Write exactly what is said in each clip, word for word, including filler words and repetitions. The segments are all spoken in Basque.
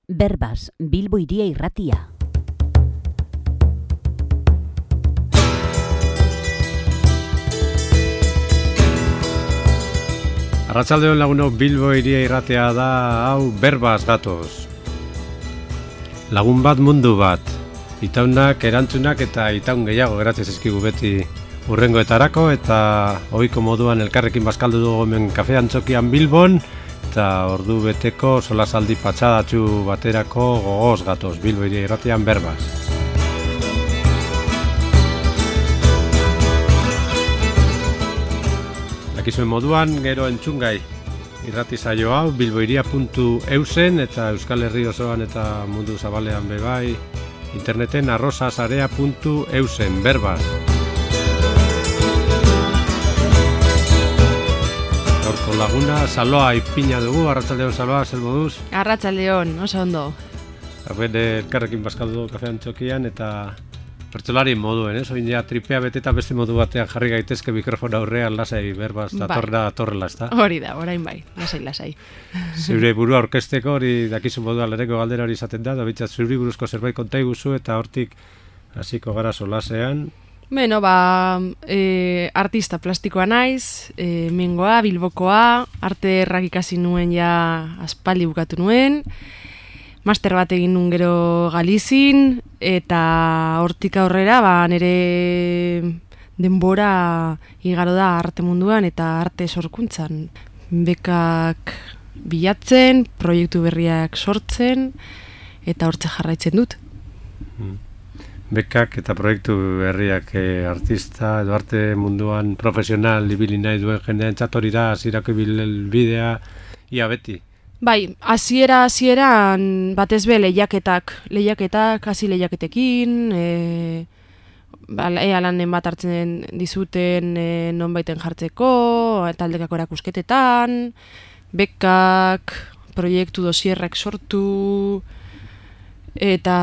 Berbas, Bilbo Hiria Irratia. Arratsaldeon lagunok, Bilbo Hiria Irratia da, hau Berbas gatoz. Lagun bat mundu bat. Itaunak, erantzunak eta itaun gehiago geratzen zaizkigu beti hurrengoetarako, eta ohiko moduan elkarrekin bazkaldu dugu hemen kafe antzokian Bilbon, eta ordu beteko solasaldi patxadatxu baterako gogoz gatoz, Bilbo Hiria Irratian Berbas. Dakizuen moduan, gero entzungai irrati saio hau bilbohiria puntu eusen eta Euskal Herri osoan eta mundu zabalean bebai interneten arrosasarea puntu eusen Berbas. Gaurko laguna, Saloa ipina dugu. Arratsaldeon Saloa, zer moduz? Arratsaldeon, oso ondo. Hauen elkarrekin bazkaldu kafe antzokian eta pertsolari moduen, ez? Oin ja tripea beteta beste modu batean jarri gaitezke mikrofona aurrean lasai Berbas datorra datorrela, ezta? Hori da, orain bai, lasai lasai. Zure burua aurkezteko hori dakizu modua lehenengo galdera hori izaten da, da bitxat zuri buruzko zerbait konta iguzu eta hortik hasiko gara solasean. Beno, ba, e, artista plastikoa naiz, e, mengoa, Bilbokoa, arte errak ikasi nuen ja aspaldi bukatu nuen, master bat egin nun gero Galizin, eta hortik aurrera ba, nire denbora igaro da arte munduan eta arte sorkuntzan. Bekak bilatzen, proiektu berriak sortzen, eta hortze jarraitzen dut. Hmm. Bekak eta proiektu berriak eh, artista edo arte munduan profesional ibili nahi duen jendean hori da hasierako ibilbidea ia beti. Bai, hasiera hasieran batez be lehiaketak, lehiaketak, hasi lehiaketekin, e, ba, ea lanen bat hartzen dizuten e, nonbaiten jartzeko, taldekako erakusketetan, bekak, proiektu dosierrak sortu, eta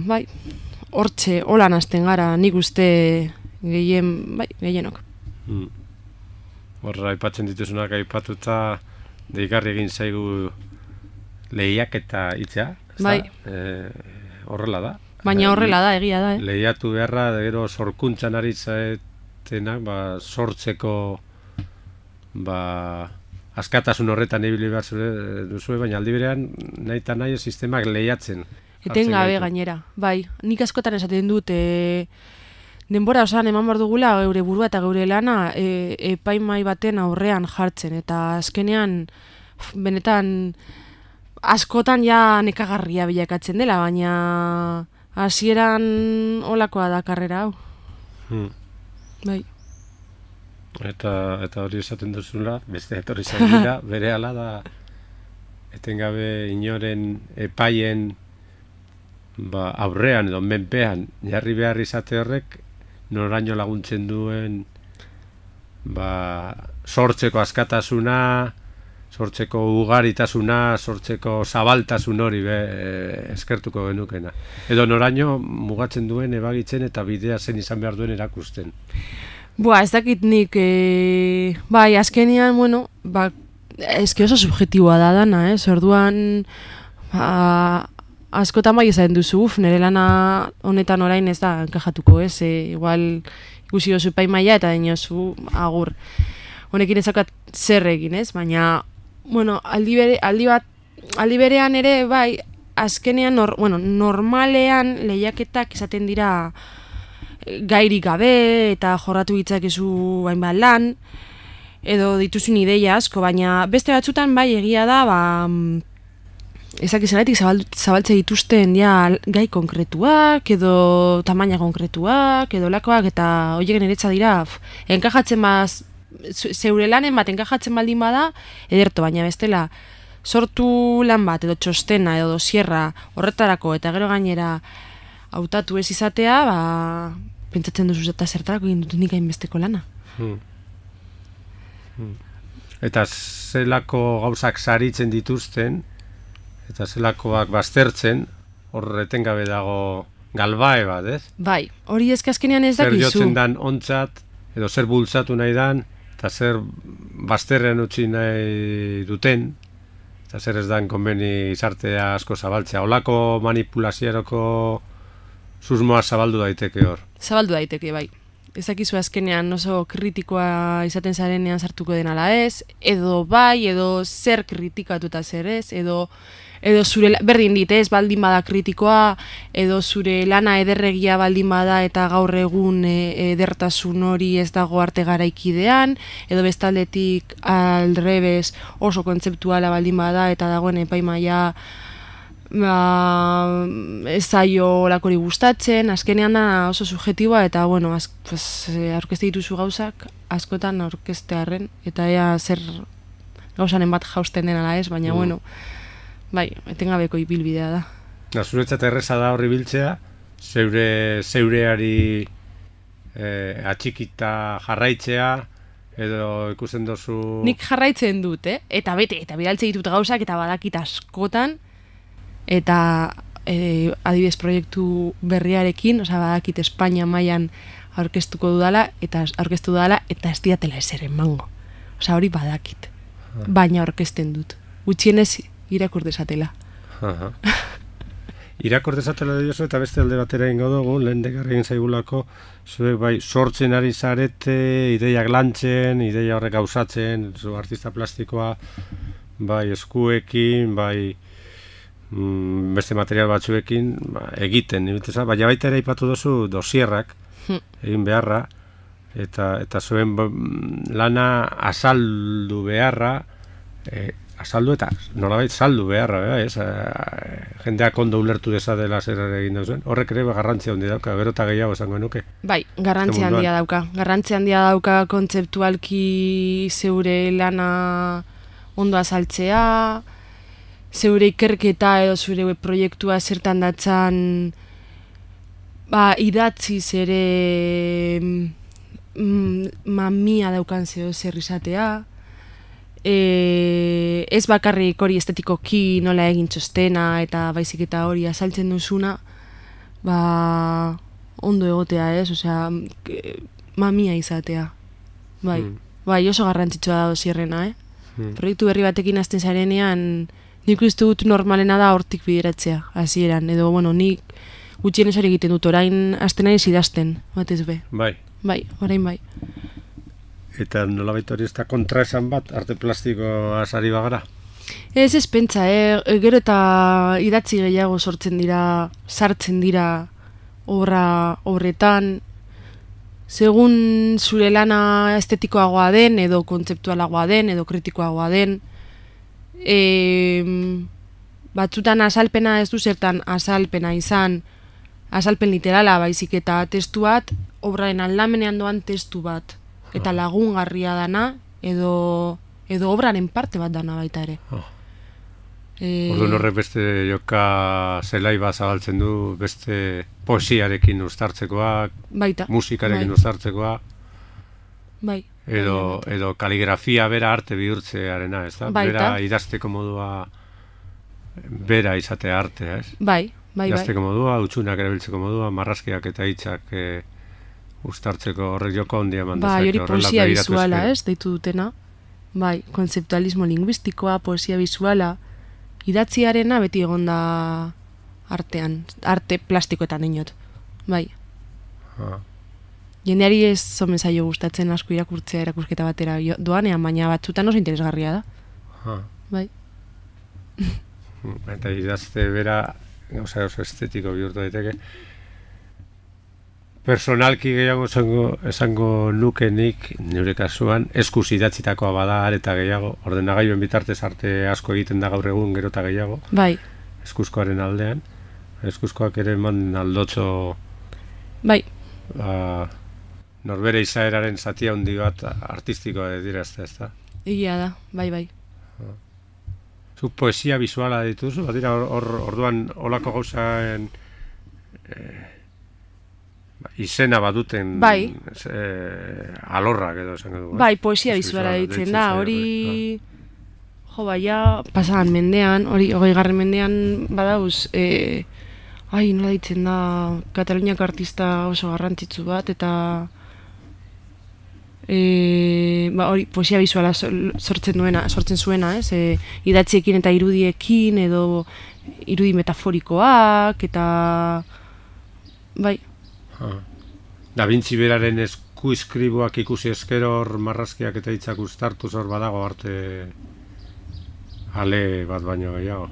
bai, hortxe, holan hasten gara, nik uste gehien, bai, gehienok. Hmm. Horra, aipatzen dituzunak aipatuta, deigarri egin zaigu lehiak eta hitzea, bai. E, horrela da. Baina horrela da, egia da, eh? Lehiatu beharra, gero sorkuntzan ari zaetenak, ba, sortzeko ba, askatasun horretan ibili behar zure duzue, baina aldi berean nahi eta nahi sistemak lehiatzen. Etengabe gainera, bai. Nik askotan esaten dut, e, denbora osan eman behar dugula geure burua eta geure lana e, epaimai baten aurrean jartzen, eta azkenean benetan askotan ja nekagarria bilakatzen dela, baina hasieran olakoa da karrera hau. Hmm. Bai. Eta, eta hori esaten duzula, beste etorri zaila, bere ala da etengabe inoren epaien ba, aurrean edo menpean jarri behar izate horrek noraino laguntzen duen ba, sortzeko askatasuna, sortzeko ugaritasuna, sortzeko zabaltasun hori be, e, eskertuko genukena. Edo noraino mugatzen duen ebagitzen eta bidea zen izan behar duen erakusten. Bua, ez dakit nik, e, bai, azkenean, bueno, ba, eski oso subjetiboa da dana, eh? Orduan, ba, askotan bai ezaten duzu, uf, nire lana honetan orain ez da enkajatuko, ez? E, igual ikusi dozu epaimaila eta dinozu agur. Honekin ezakat zer egin, ez? Baina, bueno, aldi, bere, aldi, bat, aldi berean ere, bai, azkenean, nor, bueno, normalean lehiaketak izaten dira gairik gabe eta jorratu ditzakezu hainbat lan, edo dituzun ideia asko, baina beste batzutan bai egia da, ba, ezak izaletik zabaltze dituzten ja, gai konkretuak, edo tamaina konkretuak, edo lakoak, eta horiek niretza dira, f, enkajatzen baz, zeure lanen bat enkajatzen baldin bada, ederto, baina bestela, sortu lan bat, edo txostena, edo dosierra horretarako, eta gero gainera hautatu ez izatea, ba, pentsatzen duzu eta zertarako egin dut nik hainbesteko lana. Hmm. Hmm. Eta zelako gauzak saritzen dituzten, eta zelakoak baztertzen, hor etengabe dago galbae bat, ez? Bai, hori ezke azkenean ez dakizu. Zer jotzen dan ontzat, edo zer bultzatu nahi dan, eta zer bazterrean utzi nahi duten, eta zer ez dan konbeni izartea asko zabaltzea. Olako manipulaziaroko susmoa zabaldu daiteke hor. Zabaldu daiteke, bai. Ezakizu azkenean oso kritikoa izaten zarenean sartuko den ala ez, edo bai, edo zer kritikatuta zer ez, edo edo zure, berdin dit, ez baldin bada kritikoa, edo zure lana ederregia baldin bada eta gaur egun e, edertasun hori ez dago arte garaikidean, edo bestaldetik aldrebes oso kontzeptuala baldin bada eta dagoen epaimaia ba, ez zaio lakori gustatzen, azkenean da oso subjetiboa eta bueno, az, pues, aurkezte dituzu gauzak askotan aurkeztearren eta ea zer gauzanen bat jausten den ala ez, baina mm. bueno, bai, etengabeko ibilbidea da. Na, zuretzat erreza da horri biltzea, zeure, zeureari eh, atxikita jarraitzea, edo ikusten dozu... Nik jarraitzen dut, eh? Eta bete, eta bidaltze ditut gauzak, eta badakit askotan, eta eh, adibidez proiektu berriarekin, osea badakit Espainia mailan aurkeztuko dudala, eta aurkeztu dudala, eta ez diatela ezer emango. Osea hori badakit, baina aurkezten dut. Gutxienez irakur dezatela. Aha. Irakur dezatela diozu eta beste alde batera ingo dugu, lehen degarri egin zaigulako, zuek bai sortzen ari zarete, ideiak lantzen, ideia horrek gauzatzen, zu artista plastikoa, bai eskuekin, bai mm, beste material batzuekin, ba, egiten, nibiteza, baina baita ere aipatu duzu dosierrak, egin beharra, eta, eta zuen lana azaldu beharra, e, azaldu eta nolabait saldu beharra, bera, ez? E, jendeak ondo ulertu dezadela zer egin duzuen. Horrek ere garrantzia handia dauka, gero eta gehiago esango nuke. Bai, garrantzia handia dauka. Garrantzia handia dauka kontzeptualki zeure lana ondo azaltzea, zeure ikerketa edo zeure proiektua zertan datzan ba, idatziz ere mm, mamia daukan zeo zer izatea. E, ez bakarrik hori estetikoki nola egin txostena eta baizik eta hori azaltzen duzuna, ba, ondo egotea ez, osea, mamia izatea. Bai, mm. bai oso garrantzitsua da dosierrena, eh? Mm. Proiektu berri batekin hasten zarenean, nik uste dut normalena da hortik bideratzea, hasieran, edo, bueno, nik gutxienez hori egiten dut, orain hasten naiz idazten, batez be. Bai. Bai, orain bai. Eta nolabait hori ez da kontraesan bat, arte plastikoa sari bagara? Ez ez pentsa, eh? Gero eta idatzi gehiago sortzen dira, sartzen dira obra horretan, segun zure lana estetikoagoa den, edo kontzeptualagoa den, edo kritikoagoa den, e, batzutan azalpena ez du zertan azalpena izan, azalpen literala baizik eta testu bat, obraren aldamenean doan testu bat. Eta lagungarria dana, edo, edo obraren parte bat dana baita ere. Oh. E... Orduan horrek beste joka zelai bat zabaltzen du, beste poesiarekin uztartzekoa, baita, musikarekin bai. uztartzekoa, bai. edo, bai, edo kaligrafia bera arte bihurtzearena, ez da? Baita. Bera idazteko modua, bera izatea artea, ez? Bai, bai, idazteko bai. modua, utxunak erabiltzeko modua, marrazkiak eta hitzak... E, uztartzeko horrek joko handia eman dezake. Bai, hori poesia bizuala, ez, deitu dutena. Bai, kontzeptualismo linguistikoa, poesia bizuala, idatziarena beti egonda artean, arte plastikoetan inot. Bai. Ah. Jendeari ez zomen zaio gustatzen asko irakurtzea erakusketa batera doanean, baina batzutan oso interesgarria da. Ah. Bai. Eta idazte bera, gauza oso estetiko bihurtu daiteke. Personalki gehiago esango, esango nuke nik, nire kasuan, eskuz idatzitakoa bada areta gehiago, ordenagailuen bitartez arte asko egiten da gaur egun gero eta gehiago. Bai. Eskuzkoaren aldean. Eskuzkoak ere eman aldotxo... Bai. Ba, norbere izaeraren zatia handi bat artistikoa dira ez da, ez da? Egia da, bai, bai. Zuk poesia bizuala dituzu, bat dira hor, orduan olako gauzaen... Eh, izena baduten bai. e, alorrak edo esan dugu. Bai, poesia bizuala ditzen da, hori jo baia pasagan mendean, hori hogei garren mendean badauz, e, ai, nola ditzen da, Kataluniako artista oso garrantzitsu bat, eta e, ba, hori, poesia bizuala sortzen duena, sortzen zuena, ez? E, idatziekin eta irudiekin, edo irudi metaforikoak, eta bai. Ah. Da Vinci beraren eskuiskribuak ikusi eskero hor marrazkiak eta hitzak uztartuz hor badago arte ale bat baino gehiago.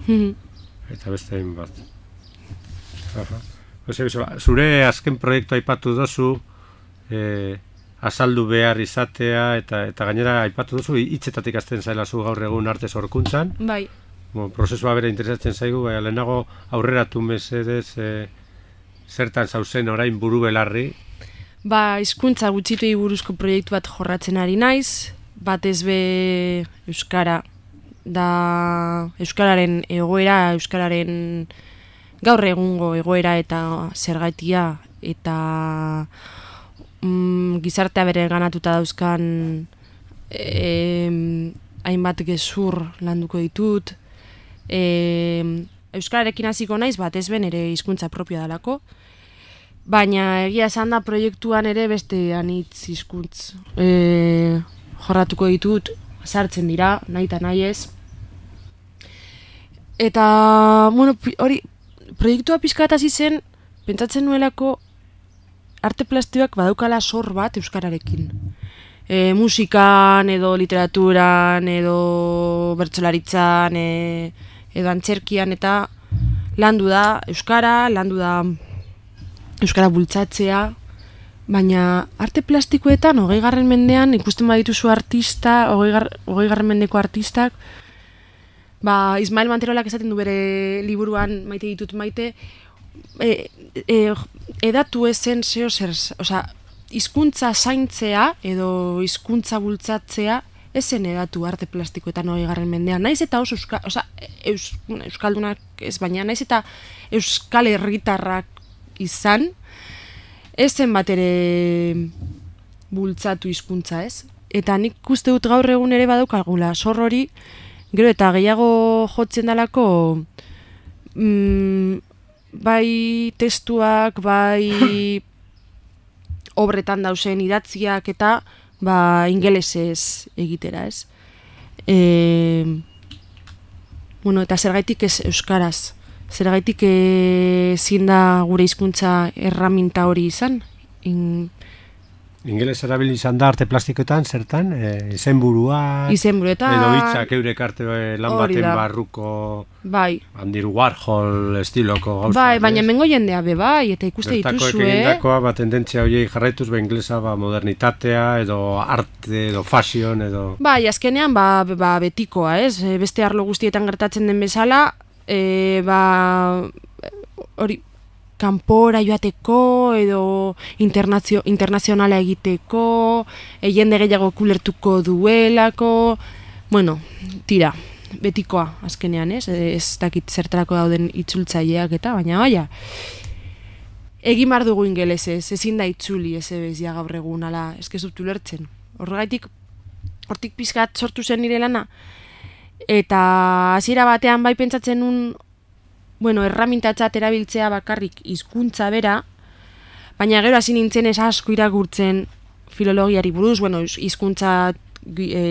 Eta beste hain bat. Zure azken proiektu aipatu dozu, eh, azaldu behar izatea, eta eta gainera aipatu duzu, hitzetatik hasten zailazu gaur egun arte sorkuntzan. Bai. Bo, prozesua bera interesatzen zaigu, baina lehenago aurreratu mesedez e, zertan zauzen orain buru belarri. Ba, hizkuntza gutxituei buruzko proiektu bat jorratzen ari naiz, batez be euskara, da euskararen egoera, euskararen gaur egungo egoera eta zergatia, eta mm, gizartea bere ganatuta dauzkan e, hainbat gezur landuko ditut. E, euskararekin hasiko naiz, batez ben ere hizkuntza propioa dalako, baina egia esan da proiektuan ere beste anitz hizkuntz e, jorratuko ditut, sartzen dira, nahi eta nahi ez. Eta, bueno, hori, proiektua pixka bat hasi zen, pentsatzen nuelako arte plastikoak badaukala sor bat euskararekin. E, musikan, edo literaturan, edo bertsolaritzan, e, edo antzerkian, eta landu da euskara, landu da euskara bultzatzea, baina arte plastikoetan, hogei garren mendean, ikusten badituzu artista, hogei gar, garren mendeko artistak, ba, Ismael Manterolak esaten du bere liburuan maite ditut maite, e, e, edatu ezen zeo zer, osea, hizkuntza zaintzea edo hizkuntza bultzatzea ezen edatu arte plastikoetan hogei garren mendean. Naiz eta oso euska, osea, eus, euskaldunak ez baina, naiz eta euskal herritarrak izan, ezen bat ere bultzatu hizkuntza, ez? Eta nik uste dut gaur egun ere badaukagula sor hori, gero eta gehiago jotzen dalako mm, bai testuak, bai obretan dausen idatziak eta ba ingelesez egitera, ez? E, bueno, eta zergaitik ez euskaraz? Zergaitik ezin da gure hizkuntza erraminta hori izan? In, Ingeles erabili izan da arte plastikoetan, zertan? E, izenburuak, izenburuetan, edo hitzak eurek arte lan baten barruko, bai. Andy Warhol estiloko gauza. Bai, baina mengo jendea be bai, eta ikuste dituzu, eh? Bertakoek egindakoa, ba, tendentzia horiei jarraituz, ba, inglesa, ba, modernitatea, edo arte, edo fashion, edo... Bai, azkenean, ba, ba, betikoa, ez? Beste arlo guztietan gertatzen den bezala, e, ba, hori, kanpora joateko edo internazio, internazionala egiteko, e, jende gehiago kulertuko duelako, bueno, tira, betikoa azkenean, ez? Ez dakit zertarako dauden itzultzaileak eta, baina baina, egin behar dugu ingelesez, ezin da itzuli ez ebezia gaur egun, ala, ez dut ulertzen. Horregaitik, hortik pizkat sortu zen nire lana, eta hasiera batean bai pentsatzen nun, bueno, erramintatzat erabiltzea bakarrik hizkuntza bera, baina gero hasi nintzen ez asko irakurtzen filologiari buruz, bueno, hizkuntza e,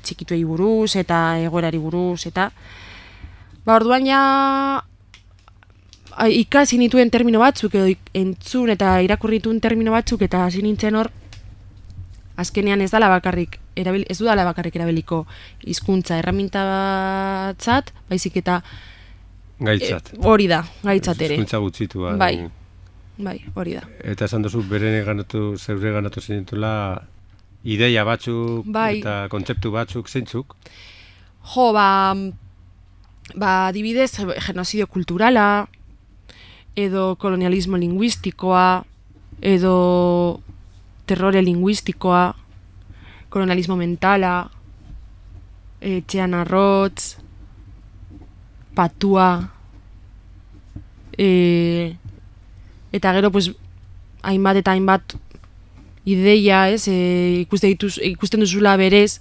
txikituei buruz eta egoerari buruz, eta ba, orduan ja ikasi nituen termino batzuk edo entzun eta irakurri nituen termino batzuk, eta hasi nintzen hor azkenean ez dala bakarrik erabil, ez dudala bakarrik erabiliko hizkuntza erramintatzat, baizik eta Gaitzat. E, hori da, gaitzat ere. Hizkuntza gutxitua. Bai, bai, hori da. Eta esan duzu, beren ganatu, zeure ganatu zinetula, ideia batzuk, bai. Eta kontzeptu batzuk, zeintzuk? Jo, ba, ba, adibidez, genozidio kulturala, edo kolonialismo linguistikoa, edo terrore linguistikoa, kolonialismo mentala, etxean arrotz, patua, e, eta gero pues, hainbat eta hainbat ideia, ez, e, ikusten, dituz, ikusten duzula berez,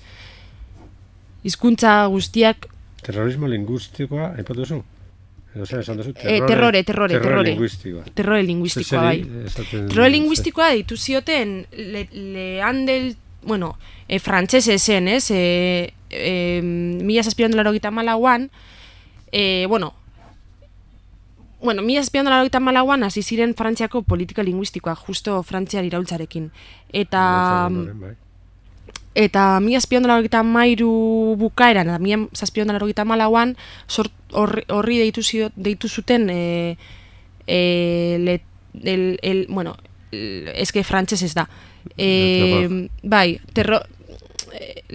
hizkuntza guztiak... Terrorismo lingüistikoa, aipatu duzu? Edo zer, esan duzu? Terrore, e, terrore, terrore, terrore. Lingüistikoa. Terrore lingüistikoa, bai. Terrore lingüistikoa ditu zioten Le, Leandel bueno, e, frantsese zen, ez? E, e, mila zazpiehun eta laurogeita hamalauan, e, bueno, Bueno, mila zazpiehun eta laurogeita hamalauan hasi ziren Frantziako politika linguistikoa, justo Frantziar iraultzarekin. Eta eta mila zazpiehun eta laurogeita hamairu bukaeran, eta mila zazpiehun eta laurogeita hamalauan horri deitu, deitu zuten e, e, le, el, el, bueno, eske frantzes ez da. E, bai, terror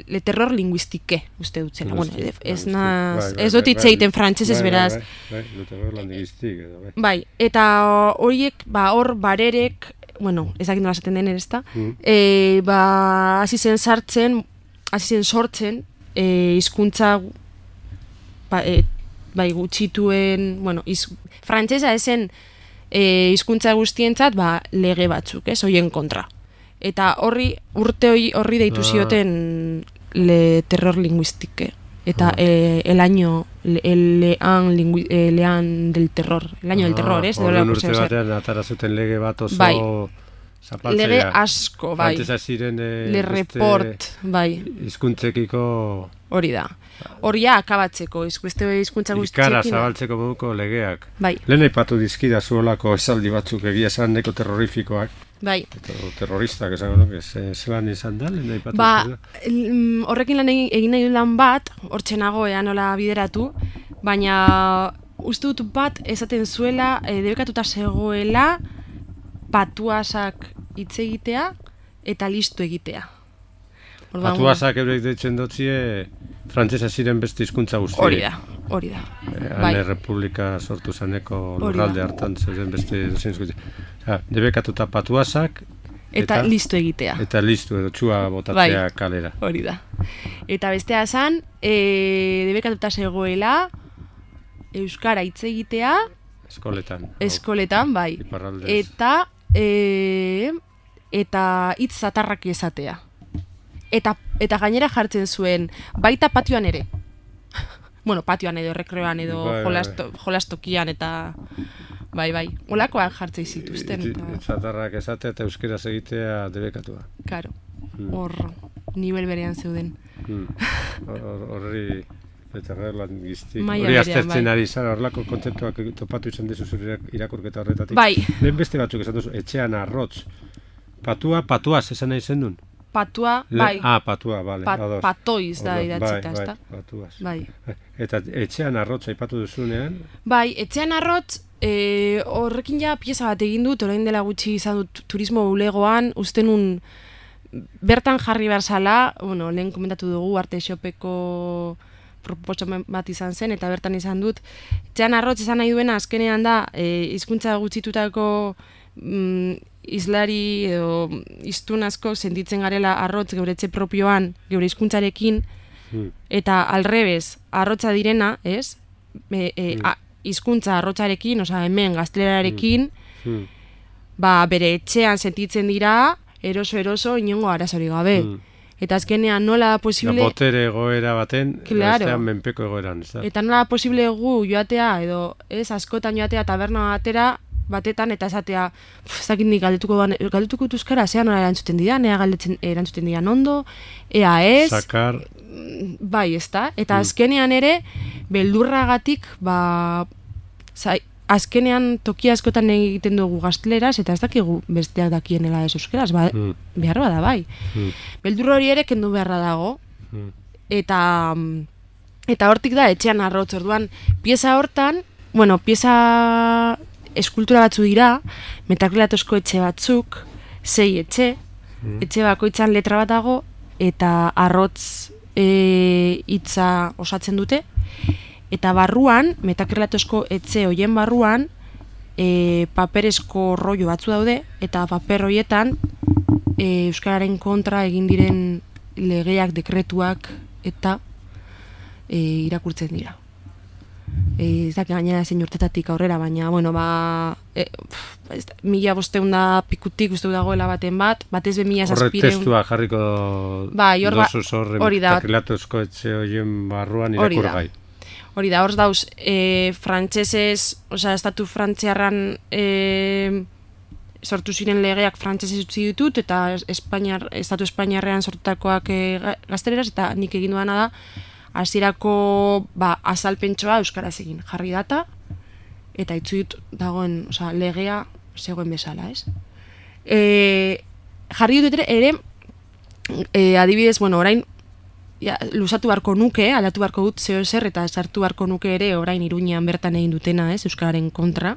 le terror linguistike, uste dut zela. Bueno, ez naz, ez dut itzeiten frantsesez beraz. Le terror linguistique. Bai, eta horiek, ba, hor barerek, bueno, ez dakit nola esaten den ere ezta, e, ba, hasi zen sartzen, hasi zen sortzen, e, hizkuntza ba, e, bai, gutxituen, bueno, iz, frantsesa esen e, hizkuntza guztientzat, ba, lege batzuk, ez, hoien kontra. Eta horri, urte hori, horri deitu zioten le terror linguistique. Eta ah. e, el año, le, el lean, lingui, e, lean del terror. El año ah, del terror, ez? Horren urte batean atara zuten lege bat oso bai. zapaltzea. Lege asko, bai. Frantesa ziren e, le report, bai. Hizkuntzekiko... Hori da. Horia akabatzeko, beste hizkuntza guztiekin. Ikara zabaltzeko moduko legeak. Bai. Lehen aipatu dizkida zuolako esaldi batzuk egia esan neko terrorifikoak. Bai. Eta terroristak esango nuke, zelan izan da, lehen aipatu ba, horrekin lan egin, egin nahi lan bat, hortxe nago ea nola bideratu, baina uste dut bat esaten zuela, e, debekatuta zegoela, patuasak hitz egitea eta listu egitea. Patuasak eurek deitzen dutzie, frantsesa ziren beste hizkuntza guztiek. Hori da, hori da. Hane Republika sortu zaneko lurralde hartan zeuden beste dozen hizkuntza. Debekatuta patuasak eta, eta listu egitea. Eta listu edo txua botatzea bai, kalera. Hori da. Eta bestea esan, e, debekatuta zegoela euskara hitz egitea eskoletan. Eskoletan, bai. Iparraldez. Eta e, eta hitz zatarrak esatea. Eta, eta gainera jartzen zuen, baita patioan ere. Bueno, patioan edo, rekreoan edo, bai, jolasto, bai. jolastokian eta... Bai, bai, olakoak jartzei zituzten. Zatarrak esatea eta euskeraz egitea debekatua. Karo, hor, hmm. nivel berean zeuden. Horri, eta gerlan giztik. Hori aztertzen ari zara, horrelako kontzeptuak topatu izan dizu zure irakurketa horretatik. Bai. Lehen beste batzuk esan duzu, etxean arrotz. Patua, patuaz esan nahi zen duen? Patua, bai. Ah, patua, bale. Pa, patoiz da idatzita, ez da? Bai, patuaz. Bai. Eta etxean arrotz aipatu duzunean? Bai, etxean arrotz, e, horrekin ja pieza bat egin dut, orain dela gutxi izan dut turismo bulegoan, usten un bertan jarri behar zala, bueno, lehen komentatu dugu, arte xopeko proposamen bat izan zen, eta bertan izan dut. Etxean arrotz izan nahi duena, azkenean da, e, hizkuntza gutxitutako mm, izlari edo iztun asko sentitzen garela arrotz geure etxe propioan, geure hizkuntzarekin, hmm. eta alrebez, arrotza direna, ez? E, e, hmm. a, hizkuntza arrotzarekin, oza, hemen gaztelerarekin, hmm. ba, bere etxean sentitzen dira, eroso-eroso, inongo arazorik gabe. Hmm. Eta azkenean nola da posible... Da botere egoera baten, claro. Bestean menpeko egoeran, ez da? Eta nola da posible gu joatea, edo, ez, askotan joatea taberna batera, batetan eta esatea, ez dakit nik galdetuko galdetuko euskara, zea nola erantzuten dira, nea galdetzen erantzuten dira ondo, ea ez, sakar, bai, ez da, eta azkenean ere, beldurragatik, ba, zai, azkenean toki askotan egiten dugu gazteleraz, eta ez dakigu besteak dakienela ez euskeraz, ba, mm. behar bada bai. Mm. Beldur hori ere kendu beharra dago, mm. eta, eta hortik da, etxean arrotz, orduan, pieza hortan, bueno, pieza... eskultura batzu dira, metakrilatozko etxe batzuk, sei etxe, mm. etxe bakoitzan letra bat dago, eta arrotz e, hitza osatzen dute, eta barruan, metakrilatozko etxe hoien barruan, e, paperezko rollo batzu daude, eta paper horietan e, euskararen kontra egin diren legeak, dekretuak, eta e, irakurtzen dira. Ez da, gainera zein urtetatik aurrera, baina, bueno, ba, e, pff, mila bosteun da pikutik uste dagoela baten bat, batez be mila zazpireun... Horre testua jarriko ba, dosuz horre metakrilatozko etxe horien barruan irakurgai. Hori da, hor dauz, e, frantsesez, osea, estatu frantziarran e, sortu ziren legeak frantsesez utzi ditut, eta Espainiar, Estatu Espainiarrean sortutakoak e, gazteleraz, eta nik egin duana da, hasierako ba, azalpentsoa euskaraz egin, jarri data, eta itzu dut dagoen, osea, legea zegoen bezala, ez? E, jarri dut ere, e, adibidez, bueno, orain, ja, luzatu barko nuke, aldatu barko dut zeo ezer, eta sartu barko nuke ere orain Iruñean bertan egin dutena, ez, euskararen kontra.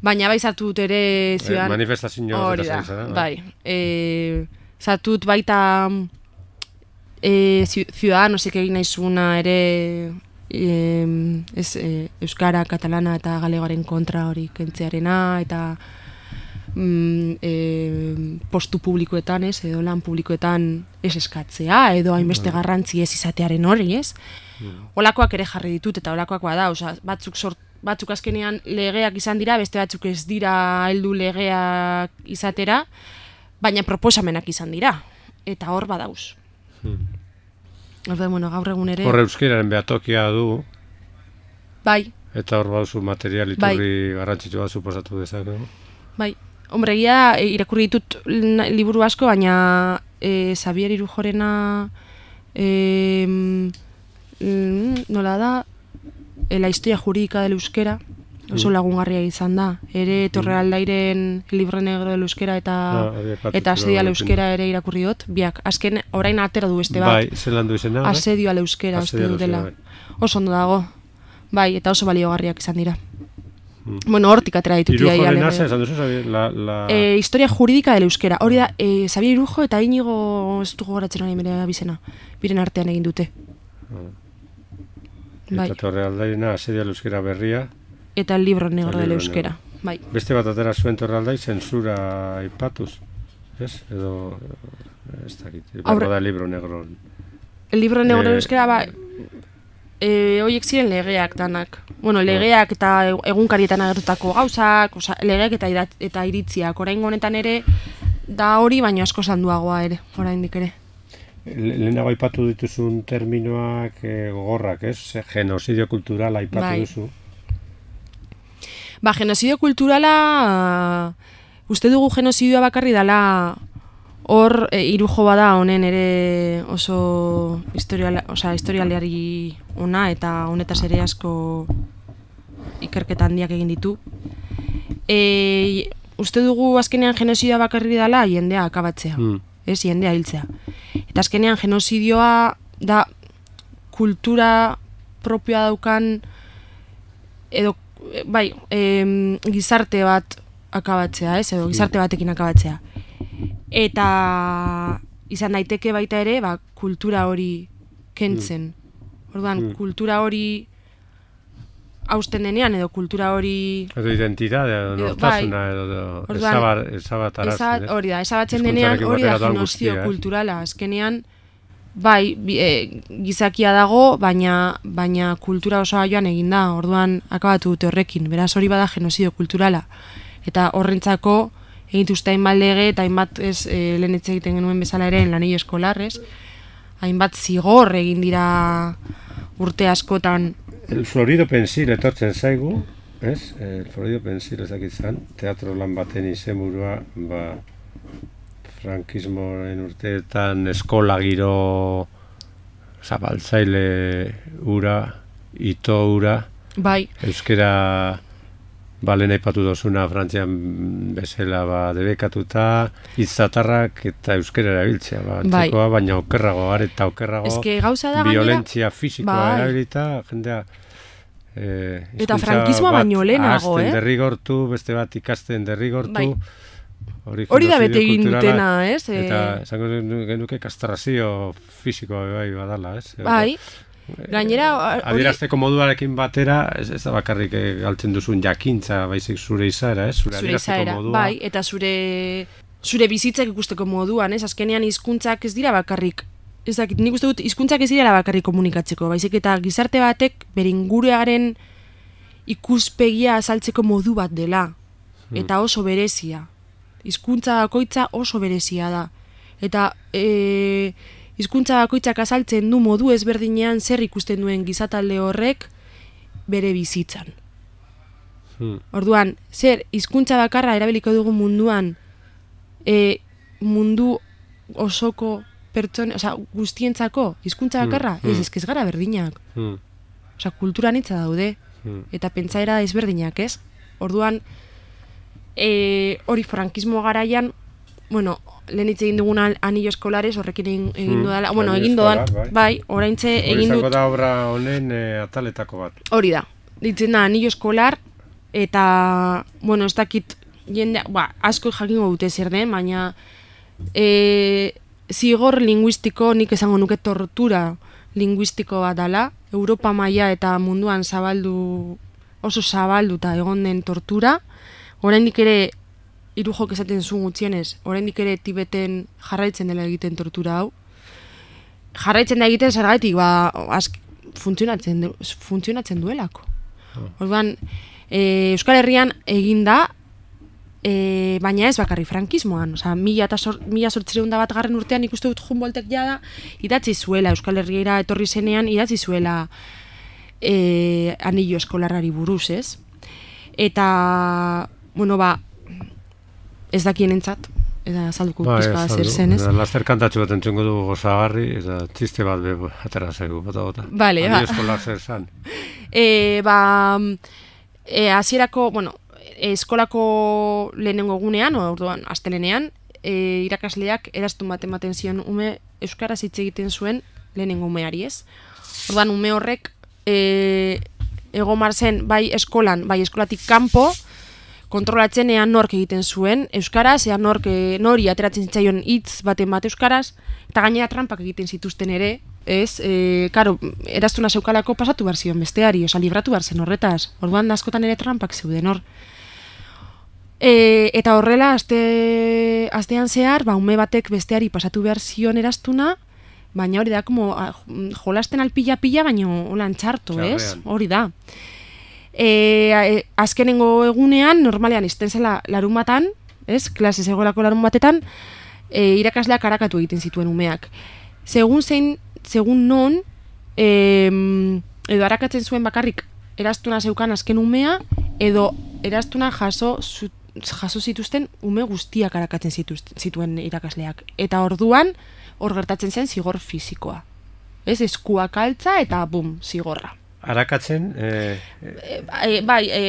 Baina bai sartu dut ere ziudan... Eh, manifestazio hori da, bai. E, sartu dut baita e, Ciudadanosek egin naizuna ere e, ez, e, euskara, katalana eta galegoaren kontra hori kentzearena, eta mm, e, postu publikoetan, ez, edo lan publikoetan ez eskatzea, edo hainbeste garrantzi ez izatearen hori, ez? Olakoak ere jarri ditut, eta olakoak bada, oza, batzuk sort batzuk azkenean legeak izan dira, beste batzuk ez dira heldu legeak izatera, baina proposamenak izan dira, eta hor badauz. Hmm. Orda, bueno, gaur egun ere... Hor euskeraren behatokia du, bai. Eta hor bauzu material iturri bai. Garrantzitsua suposatu dezake. Bai, hombre, egia da, irakurri ditut liburu asko, baina e, Xabier Irujorena e, mm, nola da, la historia jurídica del euskera, oso lagungarria izan da. Ere Torrealdairen libro negro del euskera eta ah, eta asedio al euskera ere irakurri dut. Biak, azken orain atera du beste bat. Bai, zelan du izena? Asedio al euskera, uste dutela. Oso ondo dago. Bai, eta oso baliogarriak izan dira. Mm. Bueno, hortik atera ditut. Irujorena zen, esan duzu, la... la... E, historia jurídica del euskera. Hori da, e, Xabier Irujo eta Inigo, ez dugu goratzen hori bere abizena, biren artean egin dute. Ah. Eta bai. Torrealdairena asedio al euskera berria. Eta el libro negro del euskera. Bai. Beste bat atera zuen Torrealdai zensura aipatuz. Ez? Edo... Ez dakit. Aurre... da libro negro. El libro negro del euskera, ba... E, oiek ziren legeak danak. Bueno, legeak eta egunkarietan agertutako gauzak, oza, legeak eta, irat, eta iritziak. Orain honetan ere, da hori, baina asko zanduagoa ere, oraindik ere. Lehenago aipatu dituzun terminoak e, gogorrak, ez? Genocidio kulturala aipatu bai. Duzu. Ba, genocidio kulturala, uh, uste dugu genozidioa bakarri dela hor e, Irujo bada honen ere oso historiala, osea, historialeari ona eta honetaz ere asko ikerketa handiak egin ditu. E, uste dugu azkenean genozidioa bakarri dela jendea akabatzea. Mm. Ez, jendea hiltzea. Eta azkenean genozidioa da kultura propioa daukan edo, bai, e, gizarte bat akabatzea, ez, edo gizarte batekin akabatzea. Eta izan daiteke baita ere, ba, kultura hori kentzen. Orduan, mm. kultura hori hausten denean, edo kultura hori... Edo identitate, edo nortasuna, bai. Edo ezabatarazten. Hori da, ezabatzen denean, hori da genozio eh? Kulturala. Azkenean, bai, e, gizakia dago, baina, baina kultura osoa joan egin da. Orduan, akabatu dute horrekin. Beraz, hori bada genozio kulturala. Eta horrentzako, egituzte hainbat lege, eta hainbat ez, e, lehen etxe egiten genuen bezala ere, lanei eskolarrez, hainbat zigor egin dira urte askotan. El Florido Pensil etortzen zaigu, ez? El Florido Pensil ezakitzan, teatro lan baten izenburua, ba, frankismoen urteetan eskola giro zabaltzaile ura, ito ura, bai. Euskera balen aipatu dozuna Frantzian bezala ba, debekatuta, hitzatarrak eta euskera erabiltzea, ba, antzekoa, bai. Baina okerrago, areta okerrago, violentzia fisikoa bai. Erabilita, jendea eh, eta frankismoa baino lehenago, eh? Derrigortu, beste bat ikasten derrigortu, bai. Hori da bete egin dutena, ez? Eta esango genuke kastrazio fisikoa bai badala, ez? Bai. Gainera, adierazteko moduarekin batera, ez, ez da bakarrik galtzen duzun jakintza, baizik zure izaera, ez? Zure, zure izaera, modua. Bai, eta zure zure bizitzak ikusteko moduan, ez? Azkenean hizkuntzak ez dira bakarrik. Ez dakit, nik uste dut hizkuntzak ez dira bakarrik komunikatzeko, baizik eta gizarte batek bere inguruaren ikuspegia azaltzeko modu bat dela. Eta oso berezia. Hizkuntza bakoitza oso berezia da. Eta eh hizkuntza bakoitzak azaltzen du modu ezberdinean zer ikusten duen gizatalde horrek bere bizitzan. Hmm. Orduan, zer, hizkuntza bakarra erabiliko dugu munduan, e, mundu osoko pertsone, osea, guztientzako hizkuntza bakarra, Hmm. ez, ez, ez gara berdinak. Hmm. Osea, kultura nitza daude, Hmm. eta pentsaera ezberdinak, ez? Orduan, e, hori frankismo garaian, bueno, lehen hitz egin dugun anillo eskolares, horrekin egin, egin Hmm. dudala, bueno, Anillo egin dodan, eskolar, bai. bai, oraintxe Hori egin izango dut, da obra honen e, ataletako bat. hori da, ditzen da anillo eskolar, eta, bueno, ez dakit, jende, ba, asko jakingo dute zer den, baina e, zigor linguistiko, nik esango nuke tortura linguistiko bat dala, Europa maila eta munduan zabaldu, oso zabalduta egon den tortura, oraindik ere, hiru jok esaten zuen gutxienez, oraindik ere Tibeten jarraitzen dela egiten tortura hau. Jarraitzen da egiten zergatik, ba, ask, funtzionatzen, du, funtzionatzen duelako. Orduan, e, Euskal Herrian egin da, e, baina ez bakarri frankismoan, osea, mila eta sor, mila sortzireun da bat garren urtean ikuste dut Humboldtek jada, idatzi zuela, Euskal Herriera etorri zenean, idatzi zuela e, anillo eskolarrari buruz, ez? Eta, bueno, ba, ez dakien entzat, eta azalduko Ba, pizka ez, zer zen, ez? Laster kantatxo bat entzungo du gozagarri, eta txiste bat be, atera zaigu, bota bota. Bale, ba. Anillo eskolar zer zan. E, ba, e, hasierako, bueno, eskolako lehenengo egunean, orduan, astelenean, e, irakasleak eraztun bat ematen zion ume euskaraz hitz egiten zuen lehenengo umeari, ez? Orduan, ume horrek e, egomar zen bai eskolan, bai eskolatik kanpo, kontrolatzen ea nork egiten zuen euskaraz, ea nork e, nori ateratzen zitzaion hitz baten bat euskaraz, eta gainera trampak egiten zituzten ere, ez? E, karo, eraztuna zeukalako pasatu behar zion besteari, oza, libratu behar zen horretaz. Orduan askotan ere trampak zeuden hor. E, eta horrela, aste, astean zehar, ba, ume batek besteari pasatu behar zion eraztuna, baina hori da, como, a, jolasten alpila-pila, baina holan txarto, ez? Hori da. E, e, azkenengo egunean, normalean izten zela larun batan, ez? Klase zegoelako larun batetan, e, irakasleak arakatu egiten zituen umeak. Segun zein, segun non, e, edo arakatzen zuen bakarrik eraztuna zeukan azken umea, edo eraztuna jaso, zu, jaso zituzten ume guztiak arakatzen zituzten, zituen irakasleak. Eta orduan, hor gertatzen zen zigor fisikoa. Ez, eskuak altza eta bum, zigorra. Arakatzen, e, e, e, bai, e,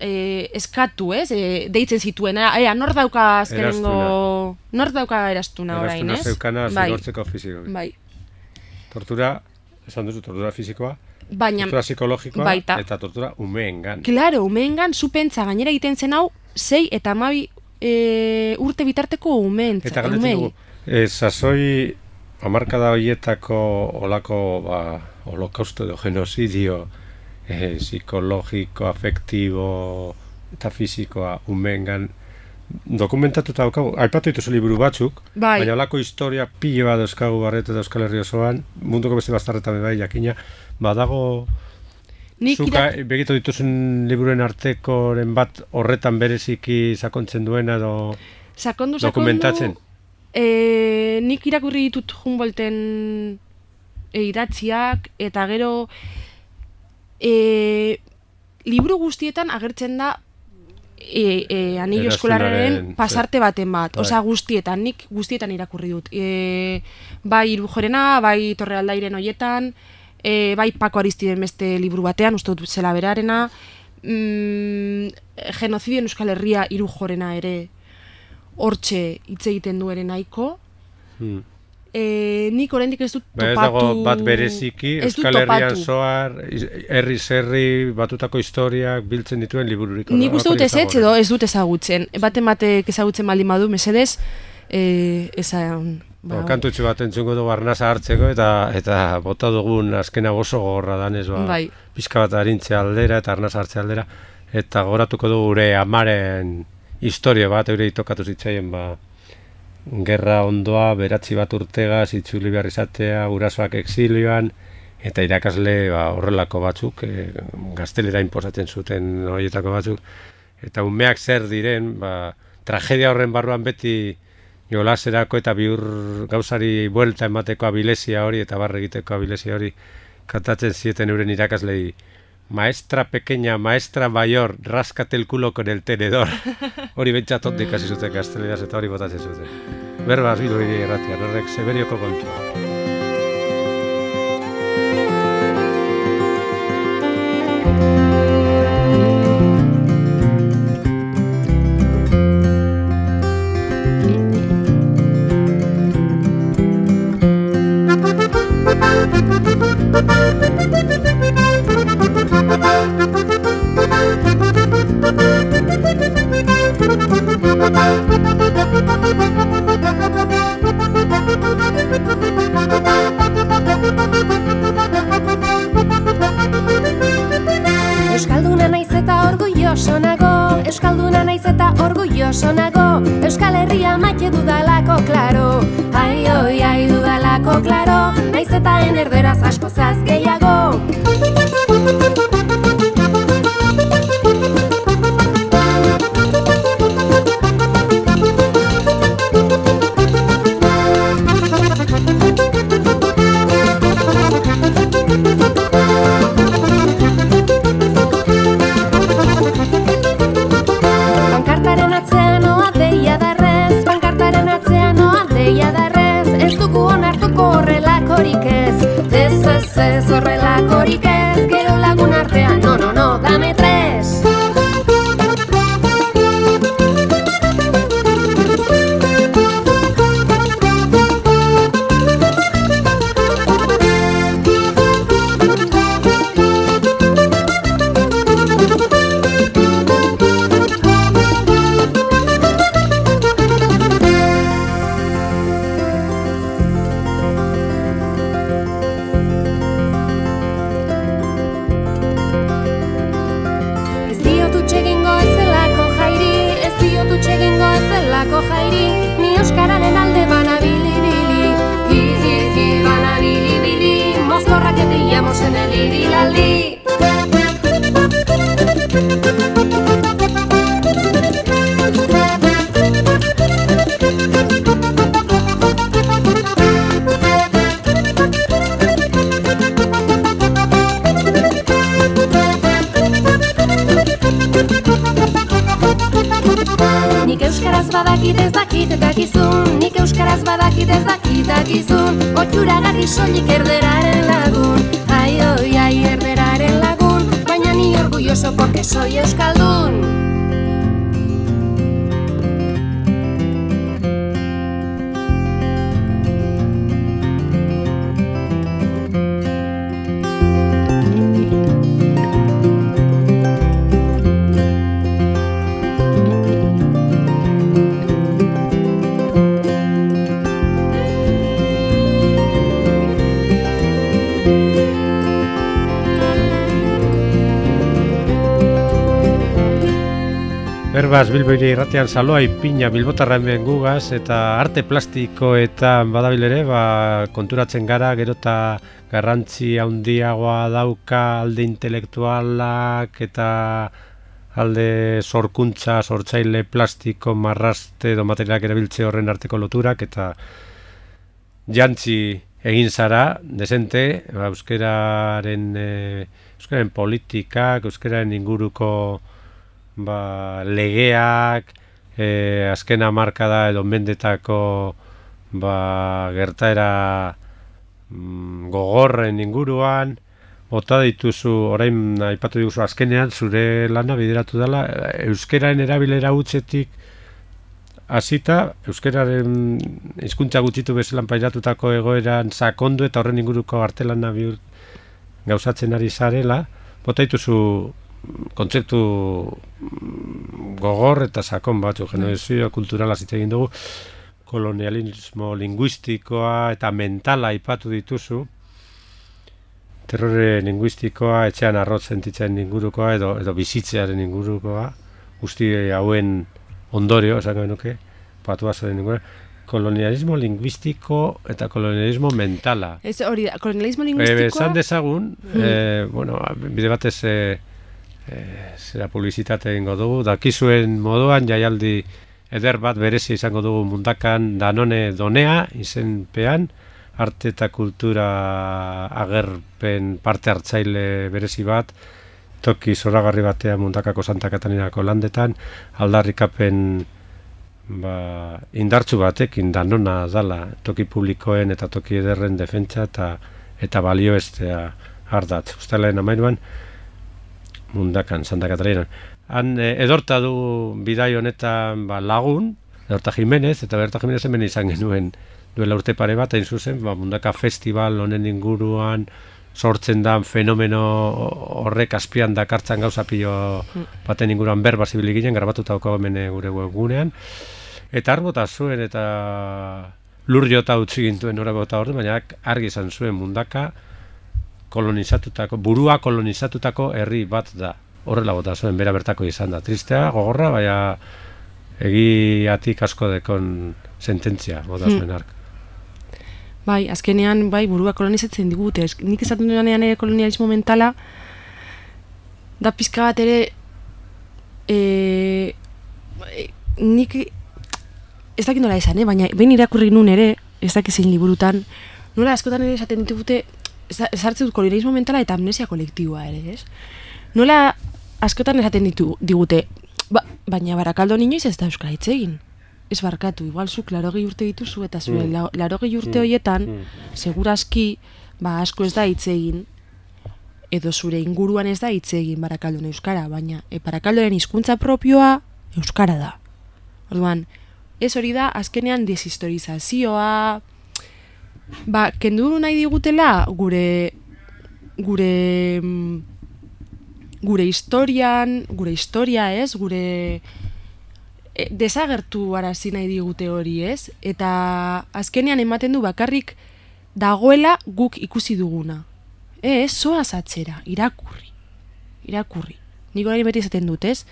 e, eskatu, ez? E, deitzen zituen, ea, nor dauka azkenengo, nor dauka eraztuna orain, ez? Eraztuna zeukana zigortzeko fisiko. Bai. Tortura, esan duzu, tortura fisikoa, baina, tortura psikologikoa baita. Eta tortura umeengan. Claro, umeengan zu pentsa gainera egiten zen hau, sei eta hamabi e, urte bitarteko umeentza. Eta galdetzen dugu, e, sasoi hamarkada horietako olako, ba, holokausto edo genozidio eh, psikologiko, afektibo eta fisikoa umeengan dokumentatuta daukagu, aipatu dituzu liburu batzuk, bai. Baina olako historia pilo bat dauzkagu Barreto eta Euskal Herri osoan, munduko beste bastarretan bai jakina, badago zuka irak... begitu dituzun liburuen artekoren bat horretan bereziki sakontzen duena edo sakondu, dokumentatzen? Sakondu, e, nik irakurri ditut Humboldten e, idatziak, eta gero e, liburu guztietan agertzen da E, e, anillo eskolarren pasarte baten bat, bai. Osea guztietan, nik guztietan irakurri dut. E, bai Irujorena, bai Torrealdairen hoietan, e, bai Pako Aristiden beste liburu batean, uste dut zela berarena, mm, genozidioen Euskal Herria Irujorena ere hortxe hitz egiten du ere nahiko. Hmm. E, nik oraindik ez dut topatu... Ba ez dago bat bereziki, Euskal Herrian zoar, herri zerri batutako historiak biltzen dituen libururik. Nik uste dut ez ez edo ez dut ezagutzen. Baten batek ezagutzen baldin badu, mesedez, e, ezan... Ba, kantutxu bat entzungo dugu arnasa hartzeko, eta eta bota dugun azkena oso gogorra danez, ba, bai. Pizka bat arintzea aldera eta arnasa hartzea aldera, eta goratuko dugu gure amaren historia bat, eure itokatu zitzaien, ba, gerra ondoa, beratzi bat urtegaz, itzuli behar izatea, gurasoak exilioan, eta irakasle ba, horrelako batzuk, e, gaztelera inposatzen zuten horietako batzuk, eta umeak zer diren, ba, tragedia horren barruan beti jolaserako eta bihur gauzari buelta emateko abilezia hori, eta barre egiteko abilezia hori kantatzen zieten euren irakaslei maestra pequeña, maestra mayor, rascate el culo con el tenedor. Hori bentsatot ikasi zuten gazteleraz eta hori botatzen zuten. Berbaz Bilbo Hiri Irratia, horrek Severioko kontua. Euskalduna naiz eta orgulloso nago, Euskalduna naiz eta orgulloso nago, Euskal Herria maite dudalako, klaro, ai oi, ai dudalako, klaro, naiz eta enerderaz asko zaz gehiago. Pankartaren atzean oa deia darrez, pankartaren atzean oa deia darrez, ez dugu onartuko horrelakorik ez, ez ez ez horrelakorik ez, gero lagun artean, no, no, no, dame tres. Jairi, ni euskararen alde banabili-bili, hi-hi-hi banabili-bili, mozkorra que pillamos en el irilaldi. Nik euskaraz badakit ez dakit dakizun, nik euskaraz badakit ez dakit dakizun, oituragarri soilik erderaren lagun, ai oi, ai erderaren lagun, baina ni orgulloso porque soy euskaldun. Berbaz Bilbo Hiri Irratian saloa ipina bilbotarra hemen gugaz eta arte plastikoetan badabil ere, ba, konturatzen gara gero eta garrantzi handiagoa dauka alde intelektualak eta alde sorkuntza, sortzaile plastiko, marraste edo materialak erabiltze horren arteko loturak eta jantzi egin zara, desente, ba, euskararen, e, euskararen politikak, euskararen inguruko ba, legeak, e, azken hamarkada edo mendetako ba, gertaera mm, gogorren inguruan, bota dituzu, orain aipatu diguzu azkenean, zure lana bideratu dela, euskararen erabilera hutsetik hasita, euskararen hizkuntza gutxitu bezalan pairatutako egoeran sakondu eta horren inguruko artelana bihur gauzatzen ari zarela, bota dituzu kontzeptu gogor eta sakon batzu, generazio kulturala hitz egin dugu, kolonialismo linguistikoa eta mentala aipatu dituzu, terrore linguistikoa, etxean arrotz sentitzen ingurukoa edo, edo bizitzearen ingurukoa, guzti hauen ondorio, esango genuke, patuazoren ingurukoa, kolonialismo linguistiko eta kolonialismo mentala. Ez hori, kolonialismo linguistikoa... Esan dezagun, hmm. eh, bueno, bide batez... Eh, E, zera publizitate egingo dugu, dakizuen moduan jaialdi eder bat berezi izango dugu mundakan Danone Donea izenpean, arte eta kultura agerpen parte hartzaile berezi bat, toki zoragarri batean Mundakako Santa Katarinako landetan, aldarrikapen ba, indartzu batekin danona dala toki publikoen eta toki ederren defentsa eta eta balioestea ardatz. Uztailaren hamairuan Mundakan, Santa Katarinan. Han e, edorta du bidai honetan ba, lagun, Edorta Jimenez, eta Edorta Jimenez hemen izan genuen duela urte pare bat, hain zuzen, ba, Mundaka Festival honen inguruan sortzen da fenomeno horrek azpian dakartzan gauza pilo baten inguruan berba zibili ginen, grabatuta daukago hemen gure webgunean. Eta arbota zuen eta lur jota utzi gintuen horabota orde, baina argi izan zuen Mundaka kolonizatutako, burua kolonizatutako herri bat da. Horrela bota zuen, bera bertako izan da. Tristea, gogorra, baina egiatik asko dekon sententzia bota zuen ark. Bai, azkenean, bai, burua kolonizatzen digute. Nik esaten duenean ere kolonialismo mentala, da pizka bat ere, e, nik, ez dakit nola esan, eh? Baina behin irakurri nun ere, ez dakit zein liburutan, nola askotan ere esaten ditugute, ezartzen dut kolonialismo mentala eta amnesia kolektiboa ere, ez? Nola askotan esaten ditu, digute, ba, baina Barakaldo inoiz ez da euskara hitz egin. Ez barkatu, igual zu larogei urte dituzu eta zure mm. larogei urte horietan, mm. segurazki, ba, asko ez da hitz egin, edo zure inguruan ez da hitz egin Barakaldon euskara, baina e, Barakaldoren hizkuntza propioa euskara da. Orduan, ez hori da, azkenean deshistorizazioa, ba, kendu nahi digutela gure, gure, gure historian, gure historia ez, gure desagertu arazi nahi digute hori ez, eta azkenean ematen du bakarrik dagoela guk ikusi duguna. Ez, zoaz atzera, irakurri, irakurri. Nik hori beti esaten dut, ez?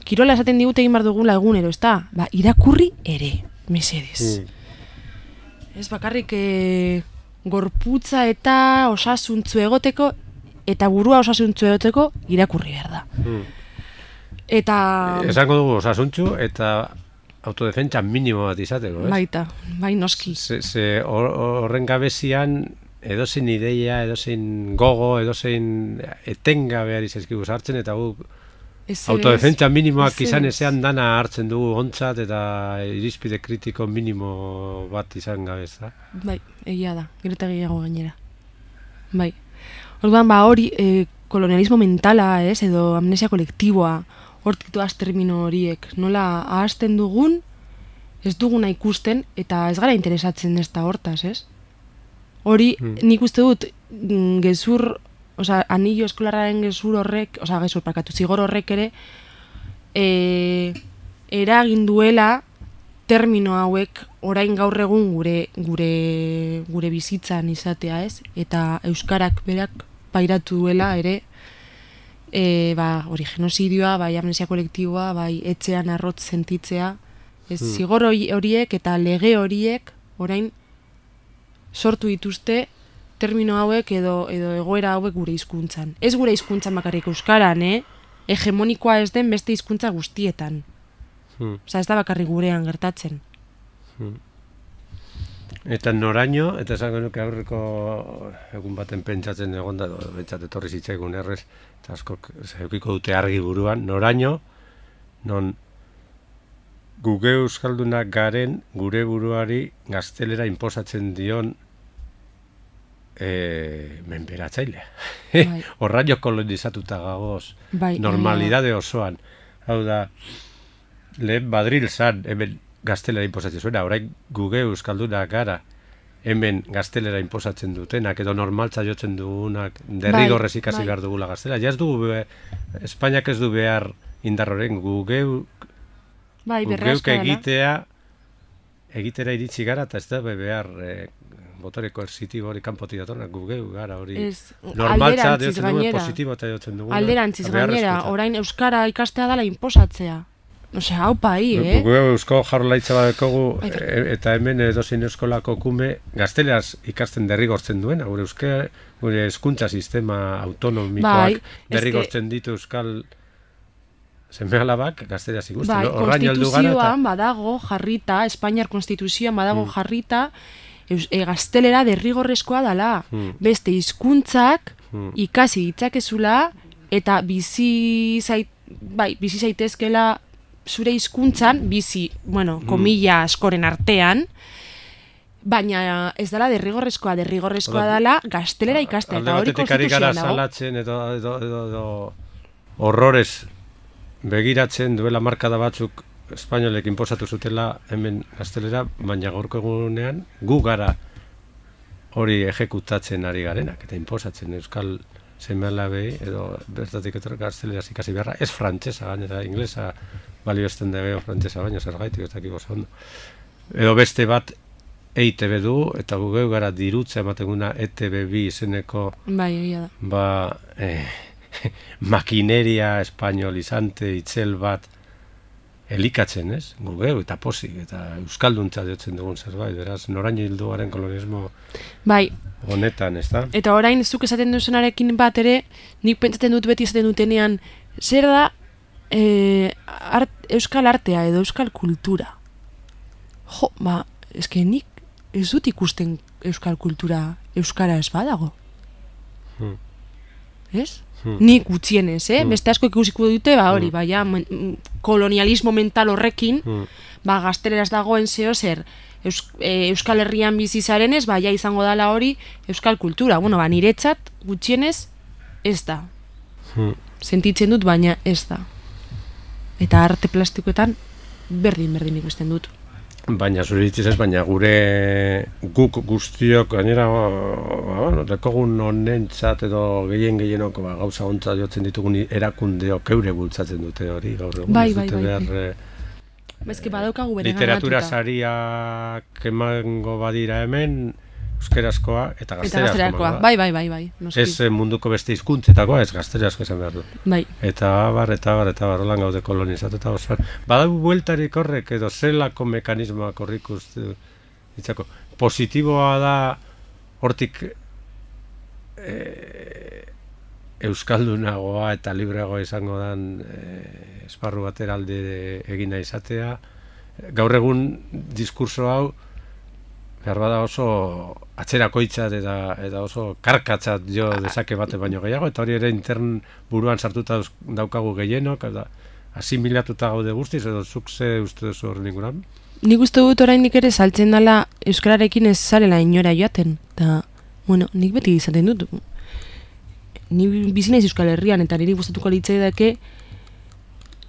Kirola esaten digute egin bar dugula egunero, ez da? Ba, irakurri ere, mesedez. Mm. Ez bakarrik e, gorputza eta osasuntzu egoteko, eta burua osasuntzu egoteko irakurri behar da. Mm. Eta... Esango dugu osasuntzu eta autodefentsa minimo bat izateko, ez? Baita, bai noski. Ze, ze horren gabezian edozein ideia, edozein gogo, edozein etengabe ari zaizkigu sartzen, eta gu autodefentsa minimoak izan ezean dana hartzen dugu ontzat eta irizpide kritiko minimo bat izan gabez, da? Bai, egia da, gero eta gehiago gainera. Bai. Orduan, ba, hori eh, kolonialismo mentala, ez, edo amnesia kolektiboa, hortituaz termino horiek, nola ahazten dugun, ez duguna ikusten, eta ez gara interesatzen ez da hortaz, ez? Hori, hmm. nik uste dut, gezur, oza, anillo eskolarraren gezur horrek, oza, gezur parkatu, zigor horrek ere, e, eragin duela termino hauek orain gaur egun gure, gure, gure bizitzan izatea, ez? Eta euskarak berak pairatu duela ere, E, ba, hori genozidioa, bai amnesia kolektiboa, bai etxean arrotz sentitzea, ez hmm. zigor horiek eta lege horiek orain sortu dituzte termino hauek edo, edo egoera hauek gure hizkuntzan. Ez gure hizkuntzan bakarrik euskaran, eh? Hegemonikoa ez den beste hizkuntza guztietan. Hmm. Osa, ez da bakarrik gurean gertatzen. Hmm. Eta noraino, eta esango nuke aurreko egun baten pentsatzen egon da, bentsat etorri zitzaigun errez, eta askok zeukiko dute argi buruan, noraino, non guge euskaldunak garen gure buruari gaztelera inposatzen dion e, menberatzailea. Bai. Horraino kolonizatuta gagoz, bai, normalidade osoan. Hau da, lehen Badril zan, hemen gaztelera inposatzen zuena, orain guge euskaldunak gara, hemen gaztelera inposatzen dutenak, edo normaltza jotzen dugunak, derrigorrez ikasi behar dugula gaztelera. Ja ez dugu, be, Espainiak ez du behar indar horren, gugeu, bai, gugeuk egitea, egitera iritsi gara, eta ez da be behar e, motore koersitibo hori kanpotik datornak, gugeu gara hori. Ez, normaltza jotzen dugu, positibo eta jotzen dugu. Alderantziz gainera, orain euskara ikastea dela inposatzea. Osea, hau pai, eh? Gu eusko jarrolaitza badekogu, eta hemen edozein eskolako kume gazteleraz ikasten derrigortzen duena, gure euske, gure hezkuntza sistema autonomikoak bai, derrigortzen ditu euskal seme-alabak gazteleraz ikusten. Bai, no? Konstituzioan badago jarrita, Espainiar Konstituzioan badago hmm. jarrita, e, gaztelera derrigorrezkoa dela. Hmm. Beste hizkuntzak hmm. ikasi ditzakezula eta bizi zait, bai, bizi zaitezkela zure hizkuntzan, bizi, bueno, komilla askoren artean, baina ez dela derrigorrezkoa, derrigorrezkoa dela gaztelera ikastea, eta hori konstituzioan dago. Salatzen edo, edo, edo, edo horrores begiratzen duela markada batzuk espainolek inposatu zutela hemen gaztelera, baina gaurko egunean gu gara hori ejekutatzen ari garenak, eta inposatzen euskal seme-alabei edo bertatik etorri gazteleraz ikasi beharra, ez frantsesa gainera, inglesa balio esten dageo frantsesa baina zergaitik ez dakik oso ondo. Edo beste bat E I Te Be du, eta gu geu gara dirutza emateguna E Te Be bi izeneko bai, egia da. Ba, eh, makineria espainolizante itzel bat elikatzen, ez? Gu geu eta posik, eta euskalduntza diotzen dugun zerbait, beraz, noraino hilduaren kolonismo bai. Honetan, ez da? Eta orain, zuk esaten duzunarekin bat ere, nik pentsaten dut beti esaten dutenean, zer da e, art, euskal artea edo euskal kultura? Jo, ba, eske nik ez dut ikusten euskal kultura euskara ez badago. Hmm. Ez? Hmm. Nik gutxienez, eh? Hmm. Beste asko ikusiko dute, ba hori, Hmm. ba, ja, kolonialismo mental horrekin, Hmm. ba, gazteleraz dagoen zeo zer, Eus, e, Euskal Herrian bizi zarenez, ba, ja izango dala hori euskal kultura. Bueno, ba, niretzat gutxienez ez da. Hmm. Sentitzen dut, baina ez da. Eta arte plastikoetan berdin, berdin ikusten dut. Baina zure hitziz ez, baina gure guk guztiok gainera bueno, dekogun honentzat edo gehien gehienok ba, gauza ontzat jotzen ditugun erakundeok eure bultzatzen dute hori gaur egun. Bai, ez bai, dute bai, behar, bai. eh, Bezke badaukagu bere literatura ganatuta. sariak emango badira hemen euskerazkoa eta Eta gazterazkoa. gazterakoa, bai, bai, bai, bai. Noski. Ez eh, munduko beste hizkuntzetakoa, ez gazterazkoa esan behar du. Bai. Eta abar, eta abar, eta abar, holan gaude kolonizatuta osoan. Badago bueltarik horrek edo zelako mekanismoak horrik uste ditzako. Positiboa da hortik e, euskaldunagoa eta libreagoa izango dan e, esparru batera alde egina izatea. Gaur egun diskurso hau behar bada oso atzerakoitzat eta, eta oso karkatzat jo dezake bate baino gehiago, eta hori ere intern buruan sartuta daukagu gehienok, eta asimilatuta gaude guztiz, edo zuk ze uste duzu horren inguran? Nik uste dut oraindik ere saltzen dela euskararekin ez zarela inora joaten. Eta, bueno, nik beti izaten dut. Ni bizi naiz Euskal Herrian, eta niri gustatuko litzaidake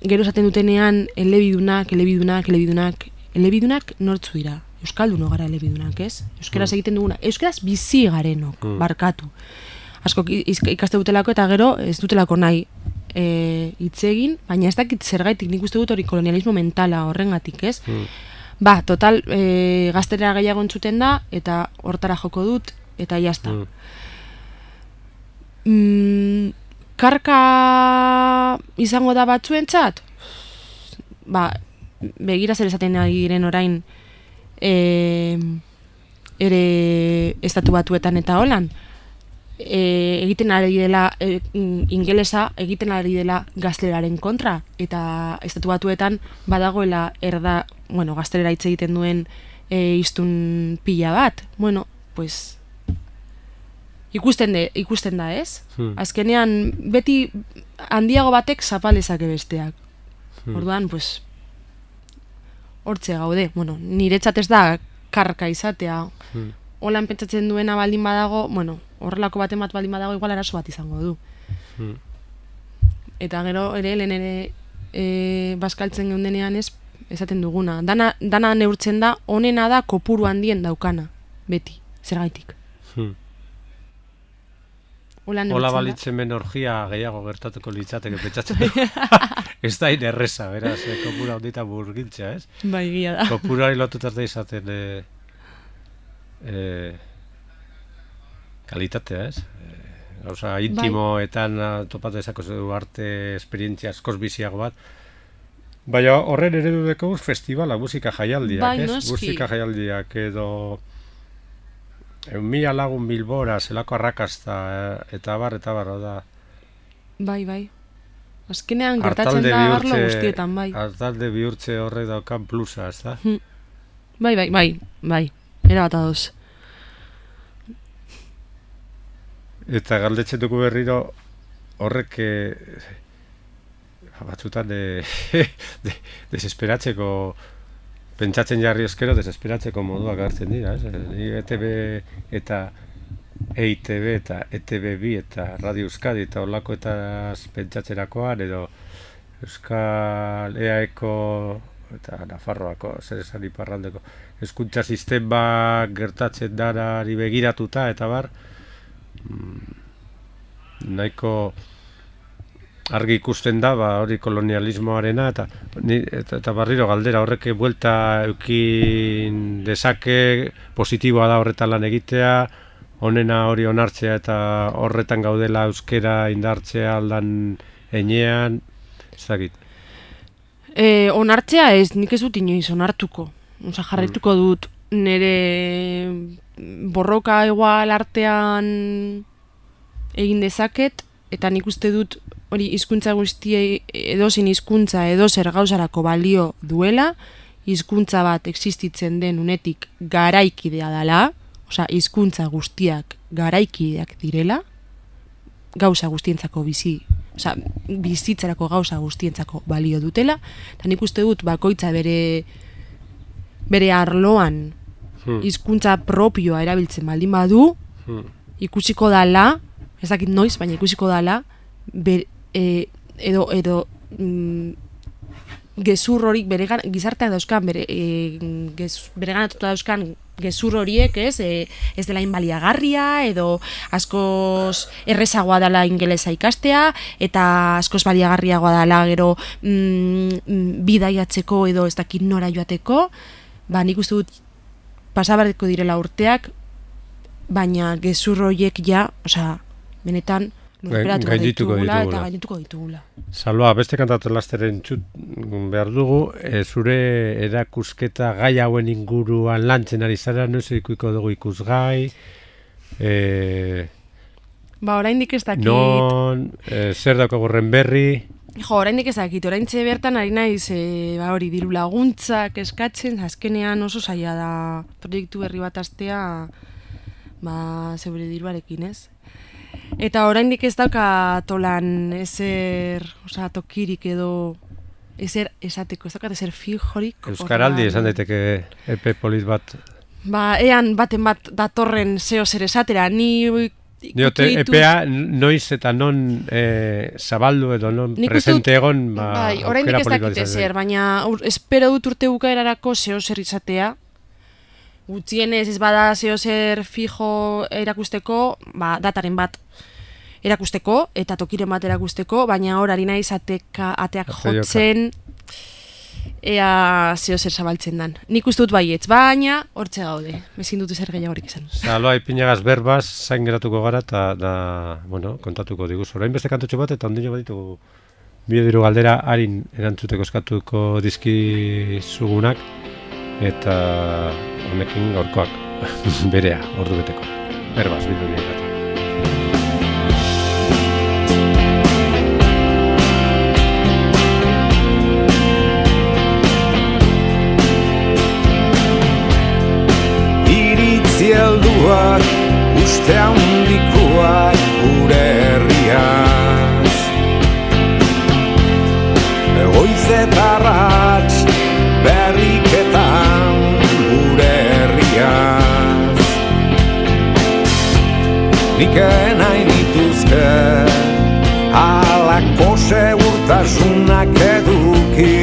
gero esaten dutenean elebidunak, elebidunak, elebidunak, elebidunak nortzu dira. Euskalduno gara elebidunak, ez? Euskaraz egiten duguna. Euskaraz bizi garenok, Mm. barkatu. Asko ikaste dutelako eta gero ez dutelako nahi e, hitz egin, baina ez dakit zergaitik, nik uste dut hori kolonialismo mentala horrengatik, ez? Mm. Ba, total, e, gaztelera gehiago entzuten da, eta hortara joko dut, eta jazta. Mm. Mm, karka izango da batzuentzat? Ba, begira zer esaten ari diren orain e, ere estatu batuetan eta holan. E, egiten ari dela e, ingelesa egiten ari dela gazteleraren kontra, eta estatu batuetan badagoela erda, bueno, gaztelera hitz egiten duen e, hiztun pila bat. Bueno, pues ikusten, de, ikusten da, ez? Hmm. Azkenean beti handiago batek zapalezake besteak. Hmm. Orduan, pues hortze gaude. Bueno, niretzat ez da karka izatea. Hmm. Holan pentsatzen duena baldin badago, bueno, horrelako baten bat baldin badago, igual arazo bat izango du. Hmm. Eta gero ere, lehen ere e, bazkaltzen geundenean ez, esaten duguna. Dana, dana neurtzen da, onena da kopuru handien daukana, beti, zergaitik. Hmm. Hola Hola balitzen ben orgia gehiago gertatuko litzateke pentsatzen du. Ez da hain erreza, beraz, eh, kopura ondita burgiltzea, ez? Bai, gila da. Kopurari lotutaz da izaten e, e, kalitatea, ez? E, gauza intimoetan bai. Topatu ezako zu arte esperientzia askoz biziago bat. Baina horren eredu deko festivala, musika jaialdiak, bai, ez? noski. Musika jaialdiak edo mila lagun Bilbora, zelako arrakasta, eh, eta bar, eta bar, da. Bai, bai. Azkenean gertatzen da arlo guztietan, bai. Artalde bihurtze horrek daukan plusa, ez da? Hmm. Bai, bai, bai, bai. Era bat adoz. Eta galdetzen dugu berriro horrek eh, batzutan de, de, desesperatzeko pentsatzen jarri eskero desesperatzeko moduak hartzen dira, ez? E T B eta E I T B eta E T B bi eta Radio Euskadi eta horlako eta pentsatzerakoan edo Euskal E A Eko eta Nafarroako zer esan iparraldeko hezkuntza sistema gertatzen danari begiratuta eta bar nahiko argi ikusten da ba hori kolonialismoarena eta, eta eta barriro galdera horrek buelta eukin dezake positiboa da horretan lan egitea honena hori onartzea eta horretan gaudela euskera indartzea aldan enean ez dakit. E, onartzea ez, nik ez dut inoiz onartuko. Osa, jarraituko dut nire borroka igual artean egin dezaket, eta nik uste dut hori hizkuntza guztiei edozin hizkuntza edozer gauzarako balio duela, hizkuntza bat existitzen den unetik garaikidea dela, osea, hizkuntza guztiak garaikideak direla, gauza guztientzako bizi, osea, bizitzarako gauza guztientzako balio dutela, eta nik uste dut bakoitza bere bere arloan hizkuntza hmm. propioa erabiltzen baldin badu, hmm. ikusiko dala, ez dakit noiz, baina ikusiko dala, ber, e, edo, edo mm, gezur horik bere gizarteak dauzkan, bere, e, gez, bere ganatuta dauzkan gezur horiek, ez, e, ez dela inbaliagarria, edo askoz errezagoa dela ingelesa ikastea, eta askoz baliagarriagoa dela gero mm, bidaiatzeko edo ez dakit nora joateko, ba nik uste dut pasabareko direla urteak, baina gezur horiek ja, osea, benetan lurperatuko ditugula eta gainituko ditugula. Salva, beste kantatu lasteren txut behar dugu, e, zure erakusketa gai hauen inguruan lantzen ari zara, noiz ikuiko dugu ikusgai, e, ba, oraindik ez dakit. Non, e, zer daukagu horren berri? Jo, oraindik ez dakit, oraintxe bertan ari naiz e, ba hori diru laguntzak eskatzen, azkenean oso zaila da proiektu berri bat astea, ba, zeure diruarekin, ez? Eta oraindik ez dauka tolan ezer, osea, tokirik edo ezer esateko, ez daukat ezer fijorik. Euskaraldi esan daiteke epe polit bat. Ba, ean baten bat datorren zeo zer esatera, ni Diote, epea noiz eta non e, zabaldu edo non presente egon, ba, bai, oraindik ez dakit ezer, baina ur, espero dut urte bukaerarako zeo zer izatea. Gutxienez ez bada zeo zer fijo erakusteko, ba, dataren bat erakusteko eta tokiren bat erakusteko, baina hor ari naiz ateka, ateak jotzen ea zeo zer zabaltzen dan. Nik uste dut baietz, baina hortxe gaude, ezin dut ezer gehiagorik izan. Salva, ipinagaz berbaz, zain geratuko gara eta da, bueno, kontatuko diguz. Orain beste kantutxo bat eta ondino baditugu biodiru galdera harin erantzuteko eskatuko dizkizugunak eta honekin gaurkoak berea, ordu beteko. Berbaz, bildu nire. Zielduak, uste handikoak gure herriaz. Goiz eta arrats berriketan gure herriaz. Nik nahi nituzke halako segurtasunak eduki,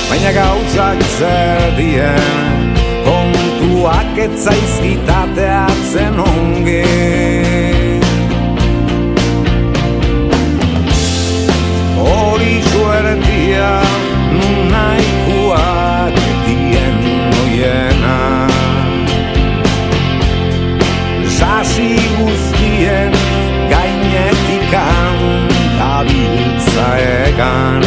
baina gauzak zer dien kontuak etzaizkitateatzen onge. Hori suertia nunaikoak dien noiena, sasi guztien gainetikan tabiltza egan,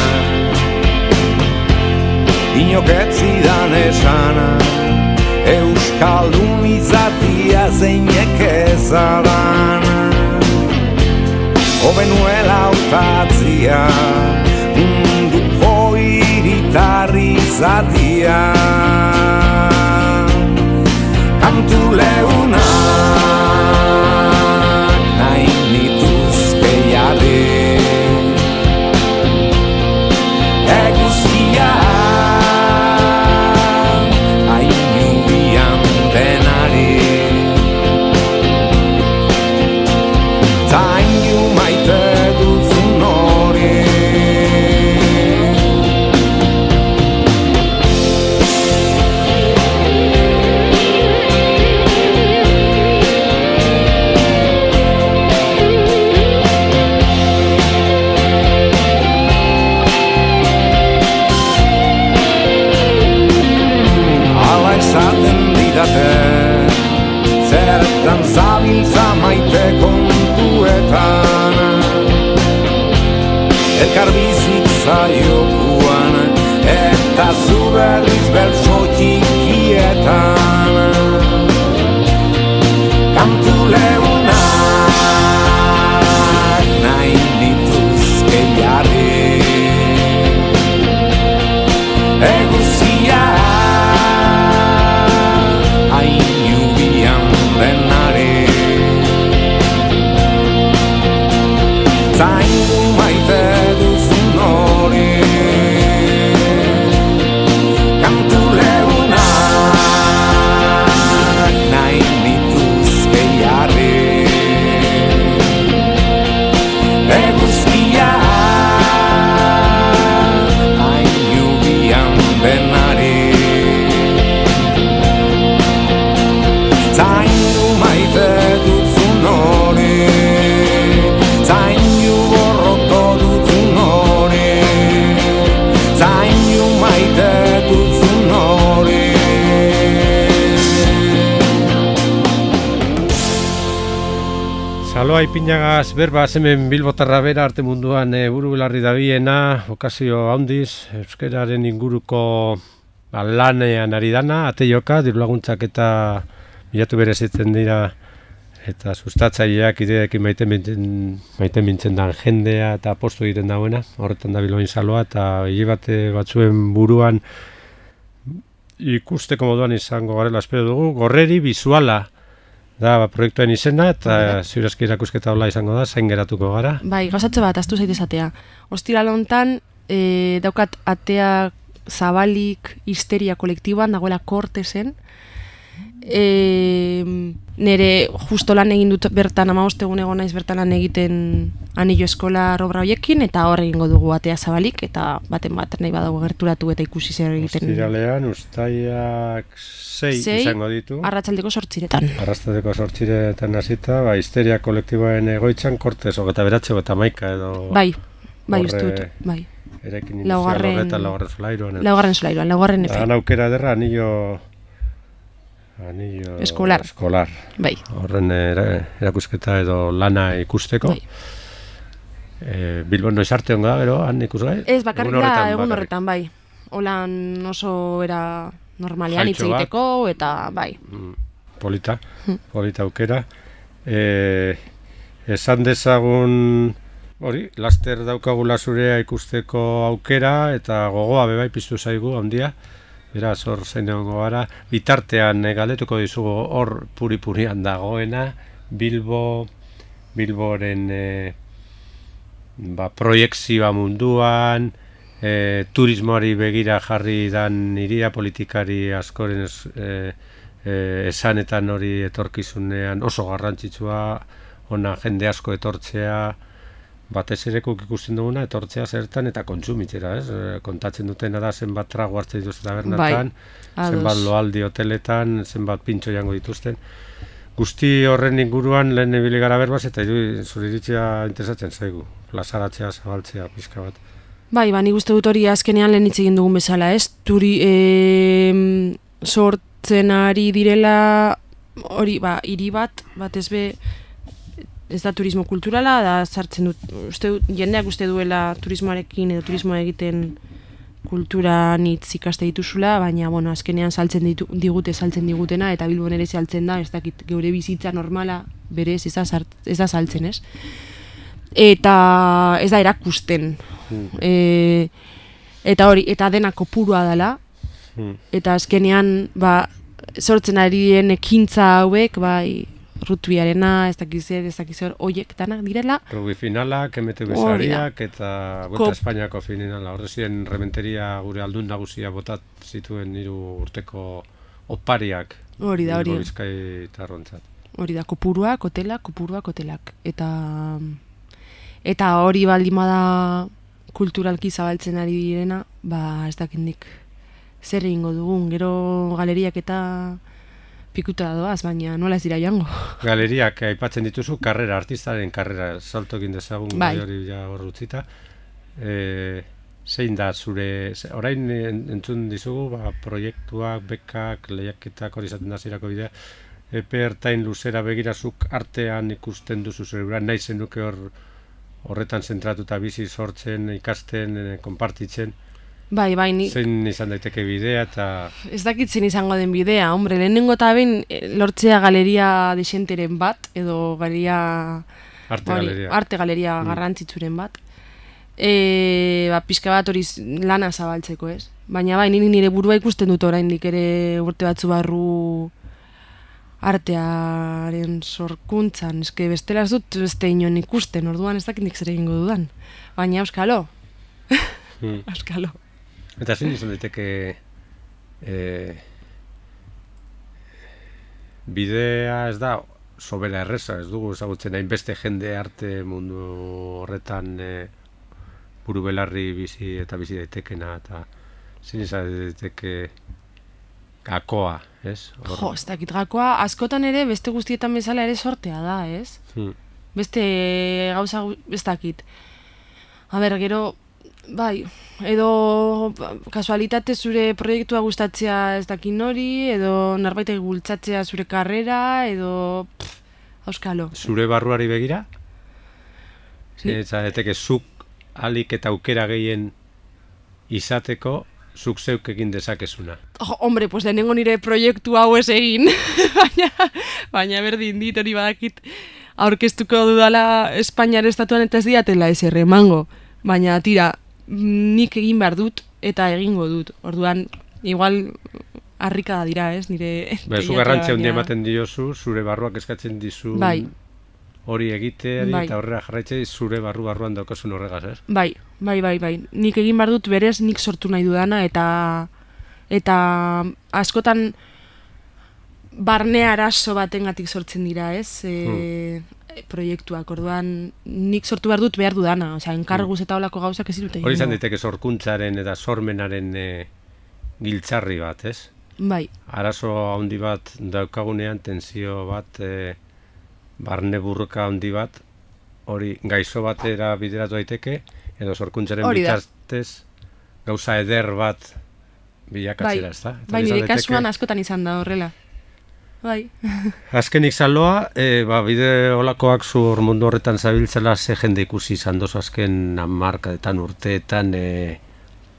inoketzidan esana Euskaldun izatia zeinek ezadan, hobenuela hautatzia, munduko hiritarri izatia. Kantu leunak nahi zehar bizitza jokuan, eta zu berriz bertso txikietan. Kantu leunak nahi nituzke jarri, eguzia hain jubian denari. Zaindu maite duzun hori, kantu leunak nahi nituzke jarri, eguzkia hain jubian denari. Zaindu maite duzun hori, zaindu borroto duzun hori, zaindu maite duzun hori. Saloa ipinagaz berba hemen Bilbotarra bera arte munduan e, buru belarri dabiena, okazio handiz, euskararen inguruko ba, lanean ari dana, ate joka, dirulaguntzak eta bilatu berezitzen dira eta sustatzaileak ideekin maite mintzen, maite mintzen dan jendea eta postu egiten dauena, horretan da Bilboin saloa eta hile bate batzuen buruan ikusteko moduan izango garela espero dugu, gorreri bizuala da ba, proiektuen izena eta ziurazki irakusketa hola izango da, zain geratuko gara. Bai, gauzatze bat, astu zaitez atea. Ostiral hontan, e, daukat atea zabalik histeria kolektiboan, dagoela Kortesen. E, nere justo lan egin dut bertan, hamabost egun egon naiz bertan lan egiten anillo eskola obra horiekin, eta hor egingo dugu atea zabalik, eta baten bat nahi badago gerturatu eta ikusi zer egiten. Ostiralean, ustaiak sei izango ditu. Arratsaldeko sortziretan. Arratsaldeko sortziretan hasita, ba, histeria kolektiboaren egoitzan, Kortes, hogeta beratze, eta maika edo... Bai, bai, uste dut, bai. Erekin inizial horretan laugarren solairuan. Laugarren solairuan, laugarren efe. Han aukera ederra, anillo... Anillo... Eskolar. Eskolar. Bai. Horren erakusketa edo lana ikusteko. Bai. E, Bilbon noiz arte honga, gero, han ikusgai? Ez, bakarrik da, egun horretan, bai. Holan oso era normalean hitz egiteko, eta bai. Polita, polita aukera. E, esan dezagun, hori, laster daukagula zurea ikusteko aukera, eta gogoa bebai piztu zaigu, handia. Beraz, hor zein egongo gara, bitartean e, galdetuko dizugu hor puri-purian dagoena, Bilbo, Bilboren e, ba, proiekzioa munduan, e, turismoari begira jarri dan iria politikari askoren es, e, e, esanetan hori etorkizunean oso garrantzitsua, ona jende asko etortzea, batez erekuk ikusten duguna, etortzea zertan eta kontsumitzera, ez? Kontatzen dutena da zenbat trago hartzen dituzten tabernatan, bai, zenbat loaldi hoteletan, zenbat pintxo jango dituzten. Guzti horren inguruan lehen ibili gara berbaz eta zure iritzia interesatzen zaigu, plazaratzea, zabaltzea, pizka bat. Bai, ba, nik uste dut hori azkenean lehen hitz egin dugun bezala, ez? Turi, e, sortzen ari direla, hori, ba, hiri bat, batez be, ez da turismo kulturala, da sartzen dut, uste, jendeak uste duela turismoarekin edo turismoa egiten kultura nitz ikaste dituzula, baina bueno, azkenean saltzen ditu, digute saltzen digutena, eta Bilbon ere saltzen da, ez dakit geure bizitza normala berez ez da, sart, ez da saltzen, ez? Eta ez da erakusten. Mm. E, eta hori, eta dena kopurua dela, mm. eta azkenean ba, sortzen ari den ekintza hauek, bai, rutbiarena, ez dakizer, ez dakizer, oiek danak direla. Rugby finalak, M T B sariak eta Vuelta Espainiako finala. Horre ziren rementeria gure aldun nagusia botat zituen hiru urteko opariak. Hori da, hori. Bizkai tarrontzat. Hori da, kopuruak, hotelak, kopuruak, hotelak. Eta eta hori baldima da kulturalki zabaltzen ari direna, ba ez dakindik zer egingo dugun, gero galeriak eta pikuta doaz, baina nola ez dira joango. Galeriak aipatzen dituzu, karrera, artistaren karrera, salto egin dezagun, bai. Hori ja hor utzita. E, zein da zure, orain entzun dizugu, ba, proiektuak, bekak, lehiaketak hori izaten da zirako bidea, epe ertain luzera begirazuk artean ikusten duzu zure, nahi zenuke hor horretan zentratuta bizi, sortzen, ikasten, eh, konpartitzen. Bai, bai, ni... Zein izan daiteke bidea eta... Ez dakit zein izango den bidea, hombre, lehenengo eta behin lortzea galeria desenteren bat, edo galeria... Arte hori, galeria. Arte galeria mm. garrantzitsuren bat. E, ba, pixka bat hori lana zabaltzeko, ez? Baina bai, nire, nire burua ikusten dut oraindik ere urte batzu barru artearen sorkuntzan. Eske bestela ez dut beste inon ikusten, orduan ez dakit nik zer egingo dudan. Baina euskalo. Mm. Euskalo. Eta zein izan daiteke eh, bidea ez da sobera erreza, ez dugu ezagutzen hainbeste jende arte mundu horretan eh, buru belarri bizi eta bizi daitekena, eta zein izan daiteke gakoa, ez? Hor... Jo, ez dakit gakoa, askotan ere beste guztietan bezala ere sortea da, ez? Hmm. Beste gauza, ez dakit. A ber, gero, bai, edo kasualitate zure proiektua gustatzea ez dakin hori, edo norbaitek bultzatzea zure karrera, edo pff, auskalo. Zure barruari begira? Ni... Eta eteke zuk alik eta aukera gehien izateko zuk zeuk egin dezakezuna. Oh, hombre, pues lehenengo nire proiektu hau ez egin, baina, baina berdin dit hori badakit aurkeztuko dudala Espainiar estatuan eta ez diatela ez erremango. Baina tira, nik egin behar dut eta egingo dut. Orduan, igual harrikada dira, ez? Nire... Ba, zu garrantzia handia ematen diozu, zure barruak eskatzen dizu bai. Hori egiteari bai. Eta horrela jarraitzea zure barru barruan daukasun horregaz, ez? Bai, bai, bai, bai. Nik egin behar dut berez nik sortu nahi dudana eta eta askotan barne arazo batengatik sortzen dira, ez? E, hmm. proiektuak, orduan nik sortu behar dut behar dudana, osea, enkarguz eta holako gauzak ez dute. Hori izan daiteke sorkuntzaren eta sormenaren e, giltzarri bat, ez? Bai. Arazo handi bat daukagunean, tensio bat, e, barne burruka handi bat, hori gaixo batera bideratu daiteke, edo sorkuntzaren bitartez gauza eder bat bilakatzera, bai. ez da? Bai, nire kasuan askotan izan da horrela. Bai. Azkenik zaloa, e, ba, bide olakoak zu mundu horretan zabiltzela ze jende ikusi izan dozu azken hamarkadetan urteetan, e,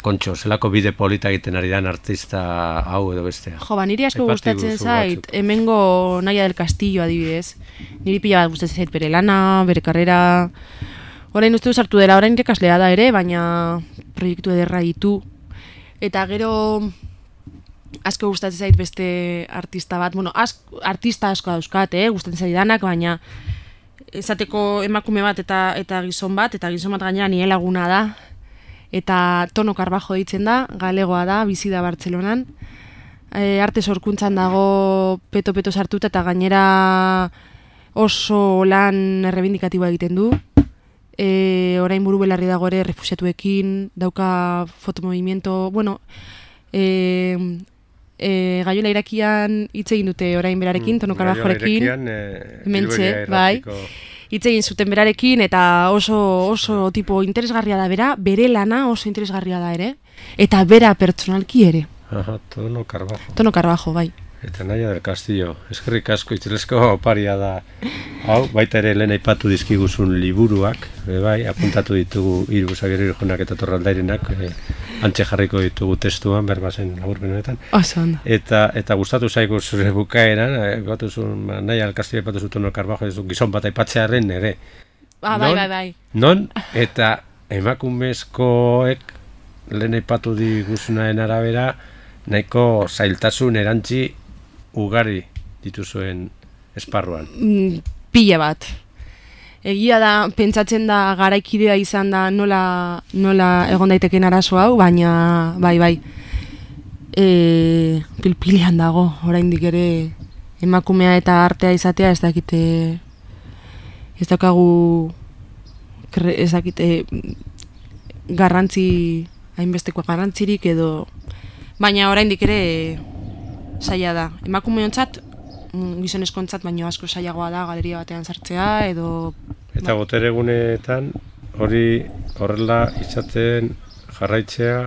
kontxo, zelako bide polita egiten ari dan artista hau edo bestea. Jo, ba, niri asko gustatzen zait, hemengo Naia del Castillo adibidez. Niri pila bat gustatzen zait bere lana, bere karrera. Orain uste du sartu dela, orain irakaslea da ere, baina proiektu ederra ditu. Eta gero asko gustatzen zait beste artista bat, bueno, asko, artista asko dauzkat, eh, gustatzen zait danak, baina esateko emakume bat eta eta gizon bat, eta gizon bat gainera nire laguna da, eta Tono Carbajo deitzen da, galegoa da, bizi da Bartzelonan, e, arte sorkuntzan dago peto-peto sartuta eta gainera oso lan errebindikatiboa egiten du, e, orain buru belarri dago ere refusiatuekin, dauka fotomovimiento, bueno, e, E, Gaiola Irakian hitz egin dute orain berarekin, Tono Carbajorekin, e, hementxe, bai, hitz egin zuten berarekin, eta oso, oso tipo interesgarria da bera, bere lana oso interesgarria da ere, eta bera pertsonalki ere. Aha, Tono Carbajo. Tono Carbajo, bai. Eta Naia del Castillo, eskerrik asko itzelezko oparia da. Hau, baita ere lehen aipatu dizkiguzun liburuak, e, bai, apuntatu ditugu hiru Xabier Irujonak eta Torraldairenak, e, antxe jarriko ditugu testuan, berbazen laburpen honetan. Oso ondo. Eta, eta gustatu zaigu zure bukaeran, aipatu zuen, Naia del Castillo aipatu zuen Tono Carbajo, ez du gizon bat aipatzearen ere. Ah, bai, bai, bai. Non, eta emakumezkoek lehen aipatu diguzunaren arabera, nahiko zailtasun erantzi ugari dituzuen esparruan. Mm, pila bat. Egia da, pentsatzen da garaikidea izan da nola, nola egon daiteken arazo hau, baina bai, bai. E, pilpilean dago, oraindik ere emakumea eta artea izatea ez dakite, ez daukagu, ez dakite garrantzi, hainbesteko garrantzirik edo, baina oraindik ere zaila da. Emakumeontzat, gizonezkoentzat baino asko zailagoa da galeria batean sartzea edo... Eta ba. Botereguneetan hori horrela izaten jarraitzea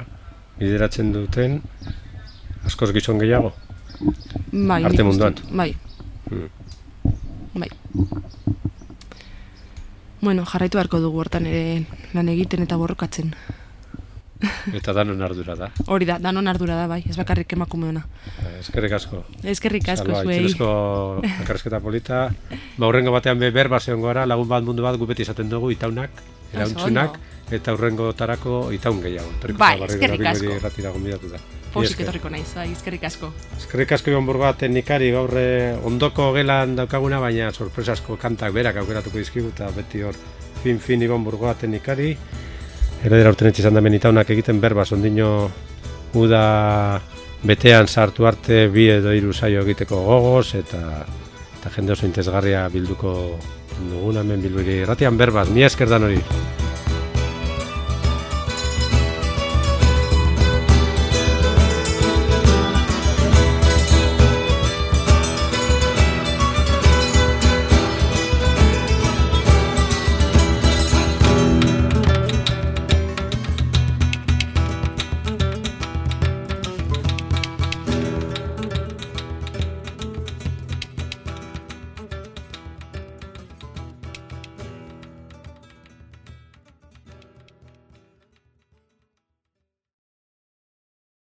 bideratzen duten askoz gizon gehiago? Bai, arte munduan? Bai. Hmm. Bai. bueno, jarraitu beharko dugu hortan ere lan egiten eta borrokatzen. Eta danon ardura da. Hori da, danon ardura da, bai, ez bakarrik emakumeona. Eskerrik asko. Eskerrik asko Salva, zuei. Itzelezko elkarrizketa polita. Ba, hurrengo batean be berba zeon gara, lagun bat mundu bat gu beti izaten dugu, itaunak, erauntzunak, eta hurrengo tarako itaun gehiago. Toriko Bai, Zabarrero eskerrik Bilbori asko. Irratira gonbidatu da. Posik etorriko naiz, bai, eskerrik asko. Eskerrik asko Iban Burgoa teknikari, gaur eh, ondoko gelan daukaguna, baina sorpresasko kantak berak aukeratuko dizkigu, eta beti hor fin-fin Iban Burgoa teknikari. Heredera urten izan da menitaunak egiten berbaz, ondino uda betean sartu arte bi edo hiru saio egiteko gogoz, eta, eta jende oso interesgarria bilduko duguna hemen Bilbori Irratian berbaz, mila esker dan hori.